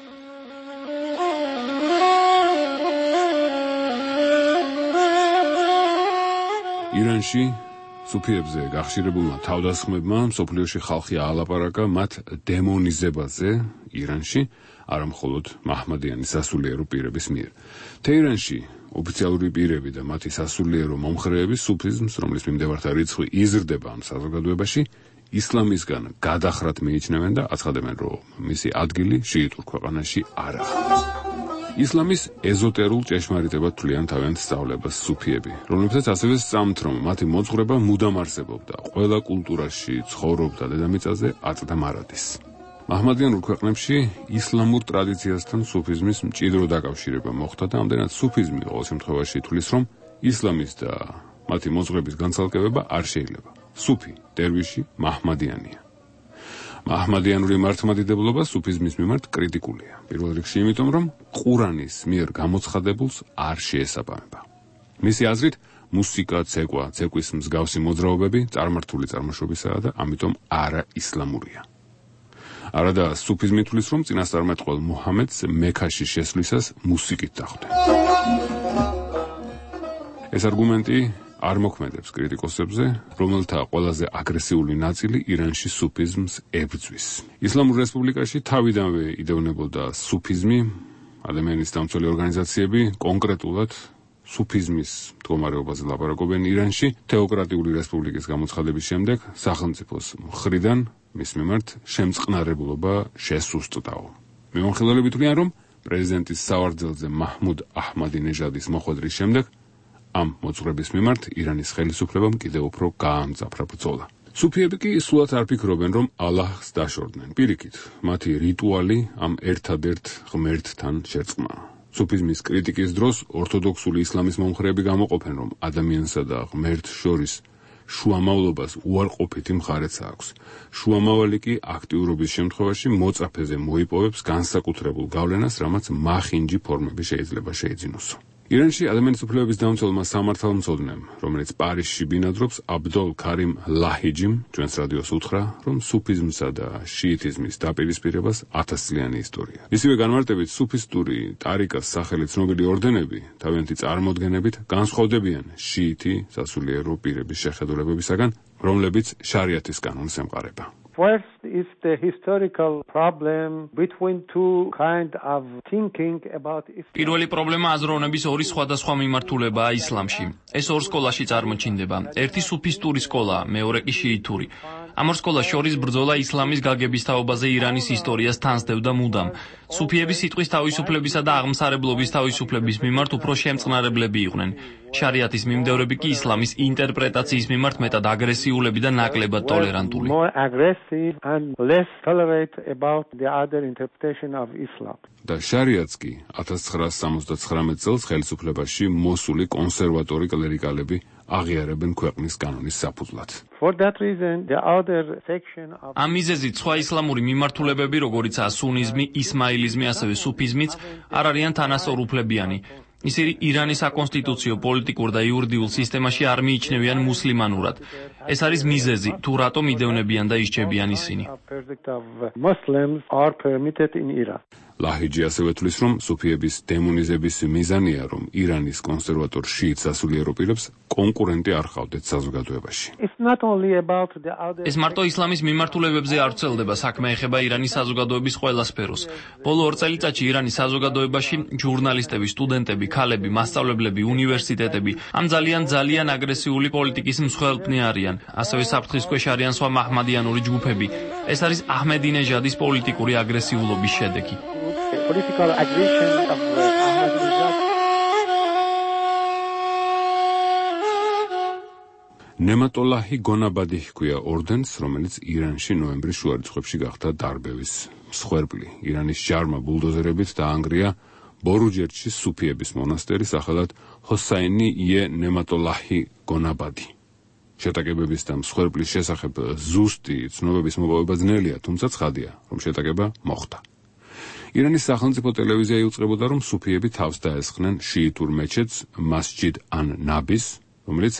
ირანში სუფიებზე გახშირებულმა თავდასხმებმა მსოფლიოში ხალხი აალაპარაკა მათ დემონიზებაზე ირანში, არა მხოლოდ მაჰმადიანის სასულიერო პირების მიერ. თეირანში ოფიციალური პირები და მათი სასულიერო მომხრეები სუფიზმს, რომლის მიმდევართა რიცხვი იზრდება ამ საზოგადოებაში, ისლამისგან გადახრად მიიჩნევენ და აცხადებენ, რომ მისი ადგილი შიიტურ ქვეყანაში არაა. ისლამის ეზოტერულ ჭეშმარიტებად თვლიან თავიანთ სწავლებას სუფიები, რომლებსაც ასევე სწამთ, რომ მათი მოძღვრება მუდამ არსებობდა, ყველა კულტურაში ცხოვრობდა დედამიწაზე აწდა მარადის. მაჰმადიანურ ქვეყნებში ისლამურ ტრადიციასთან სუფიზმის მჭიდრო დაკავშირება მოხდა და ამდენად სუფიზმი ყოველ შემთხვევაში ითვლის, რომ ისლამის და მათი მოძღვრების განცალკევება არ შეიძლება. სუფი, დერვიში, მაჰმადიანია. მაჰმადიანური მართლმადიდებლობა სუფიზმის მიმართ კრიტიკულია. პირველ რიგში იმიტომ, რომ ყურანის მიერ გამოცხადებულს არ შეესაბამება. მისი აზრით, მუსიკა, ცეკვა, ცეკვის მსგავსი მოძრაობები წარმართული წარმოშობისაა და ამიტომ არა ისლამურია. არადა სუფიზმი თვლის, რომ წინასწარმეტყველ მუჰამედს მექაში შესვლისას მუსიკით დახვდნენ. ეს არგუმენტი არ მოქმედებს კრიტიკოსებზე, რომელთა ყველაზე აგრესიული ნაწილი ირანში სუფიზმს ებრძვის. ისლამურ რესპუბლიკაში თავიდანვე იდევნებოდა სუფიზმი, ადამიანის დამცველი ორგანიზაციები კონკრეტულად სუფიზმის მდგომარეობაზე ლაპარაკობენ ირანში. თეოკრატიული რესპუბლიკის გამოცხადების შემდეგ სახელმწიფოს მხრიდან მის მიმართ შემწყნარებლობა შესუსტდაო. მიმოხილველები თვლიან, რომ პრეზიდენტის სავარძელზე მაჰმუდ აჰმადინეჟადის მოხვედრის შემდეგ ამ მოძღვრების მიმართ ირანის ხელისუფლებამ კიდევ უფრო გაამძაფრა ბრძოლა. სუფიები კი სულად არ ფიქრობენ, რომ ალაჰს დაშორდნენ. პირიქით, მათი რიტუალი ამ ერთადერთ ღმერთთან შერწყმაა. სუფიზმის კრიტიკის დროს ორთოდოქსული ისლამის მომხრეები გამოყოფენ, რომ ადამიანსა და ღმერთს შორის შუამავლობას უარყოფითი მხარეც აქვს. შუამავალი კი აქტიურობის შემთხვევაში მოწაფეზე მოიპოვებს განსაკუთრებულ გავლენას, რამაც მახინჯი ფორმები შეიძლება შეიძინოსო. ირანში ადამიანის უფლებების დამცველმა სამართალმცოდნემ, რომელიც პარიზში ბინადრობს, აბდოლ ქარიმ ლაჰიჯიმ ჩვენს რადიოს უთხრა, რომ სუფიზმსა და შიიტიზმის დაპირისპირებას ათასწლიანი ისტორია. ისივე განმარტებით, სუფისტური ტარიკას სახელი ცნობილი ორდენები თავიანთი წარმოდგენებით განსხვავდებიან შიიტი სასულიერო პირების შეხედულებებისაგან, რომლებიც შარიათის კანონს ემყარება. First is the historical problem between two kind of thinking about Islam. პირველი პრობლემა აზროვნების ორი სხვადასხვა მიმართულებაა ისლამში. ეს ორ სკოლაში წარმოჩინდება. ერთი სუფისტური სკოლა, მეორე კი შიიტური. ამ ორ სკოლას შორის ბრძოლა ისლამის გაგების თაობაზე ირანის ისტორიას თანსდევდა მუდამ. სუფიები სიტყვის თავისუფლებისა და აღმსარებლობის თავისუფლების მიმართ უფრო შემწყნარებლები იყვნენ. შარიათის მიმდევრები კი ისლამის ინტერპრეტაციის მიმართ მეტად აგრესიულები და ნაკლებად ტოლერანტული. More aggressive and less tolerate about the other interpretation of Islam. და შარიათს კი ათას ცხრაასი სამოცდაცხრამეტ წელს ხელისუფლებაში მოსული კონსერვატორი კლერიკალები აღიარებენ ქვეყნის კანონის საფუძვლად. For that reason, the other section of ამ მიზეზით სხვა ისლამური მიმართულებები, როგორიცაა სუნიზმი, ისმაილიზმი, ასევე სუფიზმიც, არ არიან თანასწორუფლებიანი. ისინი ირანის საკონსტიტუციო, პოლიტიკურ და იურიდიულ სისტემაში არ მიიჩნევიან მუსლიმანურად. ეს არის მიზეზი, თუ რატომ იდევნებიან და ისჩებიან ისინი. Muslims are permitted in Iran. ლაჰიჯი ასევე თვლის, რომ სუფიების დემონიზების მიზანია, რომ ირანის კონსერვატორ შიიტ სასულიერო პირებს კონკურენტი არ ხავდეთ საზოგადოებაში. It's not only about the other ეს მარტო ისლამის მიმართულებებზე არ ვრცელდება, საქმე ეხება ირანის საზოგადოების ყველა სფეროს. ბოლო ორ წელიწადში ირანის საზოგადოებაში ჟურნალისტები, სტუდენტები, ქალები, მასწავლებლები, უნივერსიტეტები ამ ძალიან ძალიან აგრესიული პოლიტიკის მსხვერპლნი არიან. ასევე საფრთხის ქვეშ არიან სხვა მაჰმადიანური ჯგუფები. ეს არის აჰმედინეჟადის პოლიტიკური აგრესიულობის შედეგი. Political aggression of Ahmadinejad. ნემატოლაჰი გონაბადი ჰქვია ორდენს, რომელიც ირანში ნოემბრის შუა რიცხვებში გახდა დარბევის მსხვერპლი. ირანის ჯარმა ბულდოზერებით დაანგრია ბორუჯერდში სუფიების მონასტერი სახელად ჰოსაინი ие ნემატოლაჰი გონაბადი. შეტაკებების და მსხვერპლის შესახებ ზუსტი ცნობების მოპოვება ძნელია, თუმცა ცხადია, რომ შეტაკება მოხდა. ირანის სახელმწიფო ტელევიზია იუწყებოდა, რომ სუფიები თავს დაესხნენ შიიტურ მეჩეთს მასჯიდ ან-ნაბის, რომელიც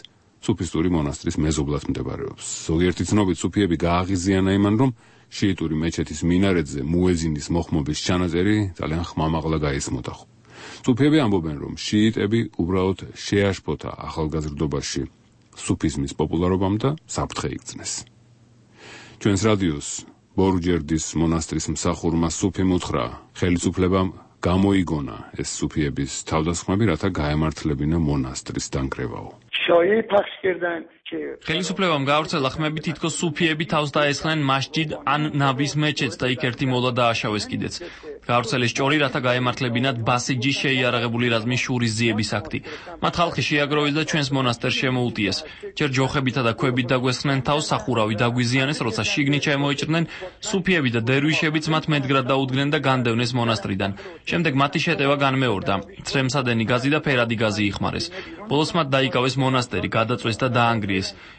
სუფისტური მონასტრის მეზობლად მდებარეობს. ზოგიერთი ცნობით სუფიები გააღიზიანა იმან, რომ შიიტური მეჩეთის მინარეთზე მუეზინის მოხმობის ჩანაწერი ძალიან ხმამაღლა გაისმოდა. სუფიები ამბობენ, რომ შიიტები უბრალოდ შეაშფოთა ახალგაზრდობაში სუფიზმის პოპულარობამ და საფრთხე იგრძნეს. ჩვენს რადიოს ბორუჯერდის მონასტრის მსახურმა სუფიმ უთხრა, ხელისუფლებამ გამოიგონა ეს სუფიების თავდასხმები, რათა გაემართლებინა მონასტრის დანგრევაო. ხელისუფლებამ გაავრცელა ხმები, თითქოს სუფიები თავს დაესხნენ მასჯიდ ან-ნაბის მეჩეთს და იქ ერთი მოლა დააშავეს კიდეც. გაავრცელეს ჭორი, რათა გაემართლებინათ ბასიჯის შეიარაღებული რაზმის შურისძიების აქტი. მათ ხალხი შეაგროვეს და ჩვენს მონასტერს შემოუტიეს. ჯერ ჯოხებითა და ქვებით დაგვესხნენ თავს, სახურავი დაგვიზიანეს, როცა შიგნით შემოიჭრნენ, სუფიები და დერვიშებიც მათ მედგრად დაუდგნენ და განდევნეს მონასტრიდან. შემდეგ მათი შეტევა განმეორდა. ცრემსადენი გაზი და ფერადი გაზი იხმარეს. ბოლოს მათ დაიკავეს მონასტერი, გადაწვეს და დაანგრიეს.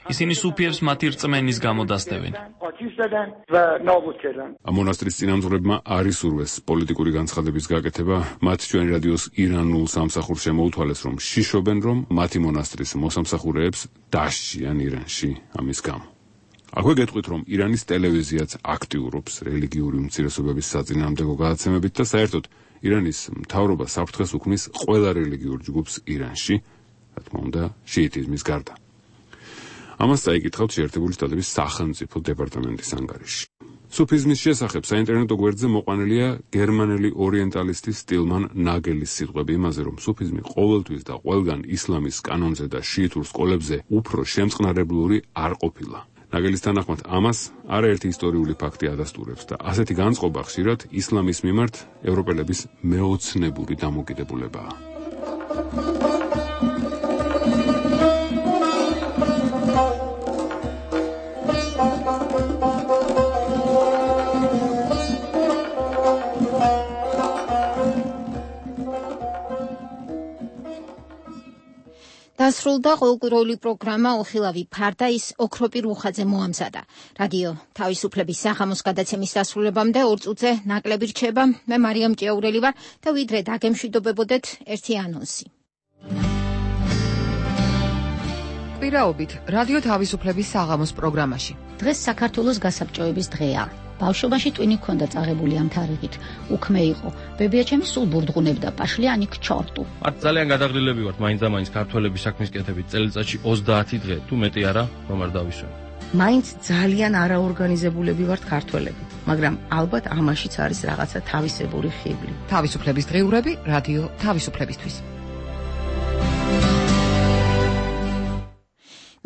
ისინი სუფიებს მათი რწმენის გამო დასდევენ. ამ მონასტრის წინამძღვრებმა არ ისურვეს პოლიტიკური განცხადების გაკეთება. მათ ჩვენ რადიოს ირანულ სამსახურს შემოუთვალეს, რომ შიშობენ, რომ მათი მონასტრის მოსამსახურეებს დასჯიან ირანში ამის გამო. აქვე გეტყვით, რომ ირანის ტელევიზიაც აქტიურობს რელიგიური უმცირესობების საწინააღმდეგო გადაცემებით და საერთოდ ირანის მთავრობა საფრთხეს უქმნის ყველა რელიგიურ ჯგუფს ირანში, რა თქმა უნდა, შიიტიზმის გარდა. ამას წაიკითხავთ შეერთებული შტატების სახელმწიფო დეპარტამენტის ანგარიში. სუფიზმის შესახებ საინტერნეტო გვერდზე მოყვანილია გერმანელი ორიენტალისტი სტილმან ნაგელის სიტყვები იმაზე, რომ სუფიზმი ყოველთვის და ყველგან ისლამის კანონზე და შიიტურ სკოლებზე უფრო შემწყნარებლური არ ყოფილა. ნაგელის თანახმად ამას არაერთი ისტორიული ფაქტი ადასტურებს და ასეთი განწყობა ხშირად ისლამის მიმართ ევროპელების მეოცნებული დამოკიდებულებაა. დასრულდა ყოველკვირეული პროგრამა ოხილავი ფარდა ის ოქროპირ უხაძე მოამზადა. რადიო თავისუფლების საღამოს გადაცემის დასრულებამდე ორ წუთზე ნაკლები რჩება. მე მარიამ ჭიაურელი ვარ და ვიდრე დაგემშვიდობებოდეთ ერთი ანონსი. კვირაობით რადიო თავისუფლების საღამოს პროგრამაში. დღეს საქართველოს გასაბჭოების დღეა. ბავშვობაში ტვინი ჰქონდა წაღებული ამ თარიღით. უქმე იყო. ბებიაჩემი სულ ბურდღუნებდა პაშლიანი ქჩორტუ. მათ ძალიან გადაღლილები ვართ მაინც და მაინც ქართველების საქმის კეთებით წელიწადში ოცდაათი დღე თუ მეტი არა, რომ არ დავისვენ. მაინც ძალიან არაორგანიზებულები ვართ ქართველები, მაგრამ ალბათ ამაშიც არის რაღაცა თავისებური ხიბლი. თავისუფლების დღიურები რადიო თავისუფლებისთვის.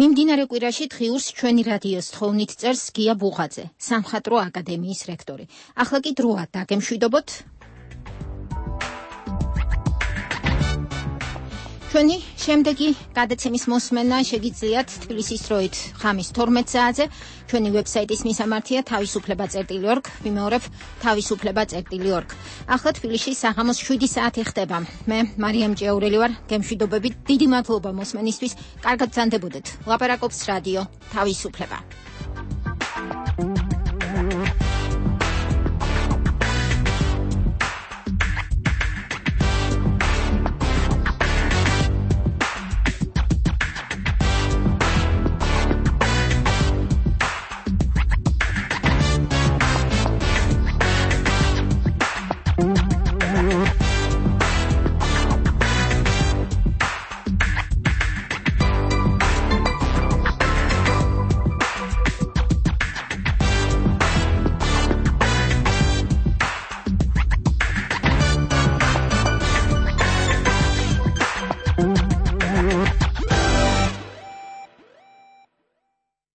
მიმდინარე კვირაში დღიურს ჩვენი რადიოს თხოვნით წერს გია ბუღაძე, სამხატვრო აკადემიის რექტორი. ახლა კი დროა დაგემშვიდობოთ ჩვენი შემდეგი გადაცემის მოსმენა შეგიძლიათ თბილისის დროით ხამის თორმეტ საათზე. ჩვენი ვებსაიტის მისამართია თავისუფლება წერტილი ორგ, ვიმეორებ თავისუფლება წერტილი ორგ. ახლა თბილისში საღამოს შვიდი საათი ხდება. მე მარიამ ჭიაურელი ვარ, გემშვიდობებით, დიდი მადლობა მოსმენისთვის. კარგად გრძანდებოდეთ. ლაპარაკობს რადიო თავისუფლება.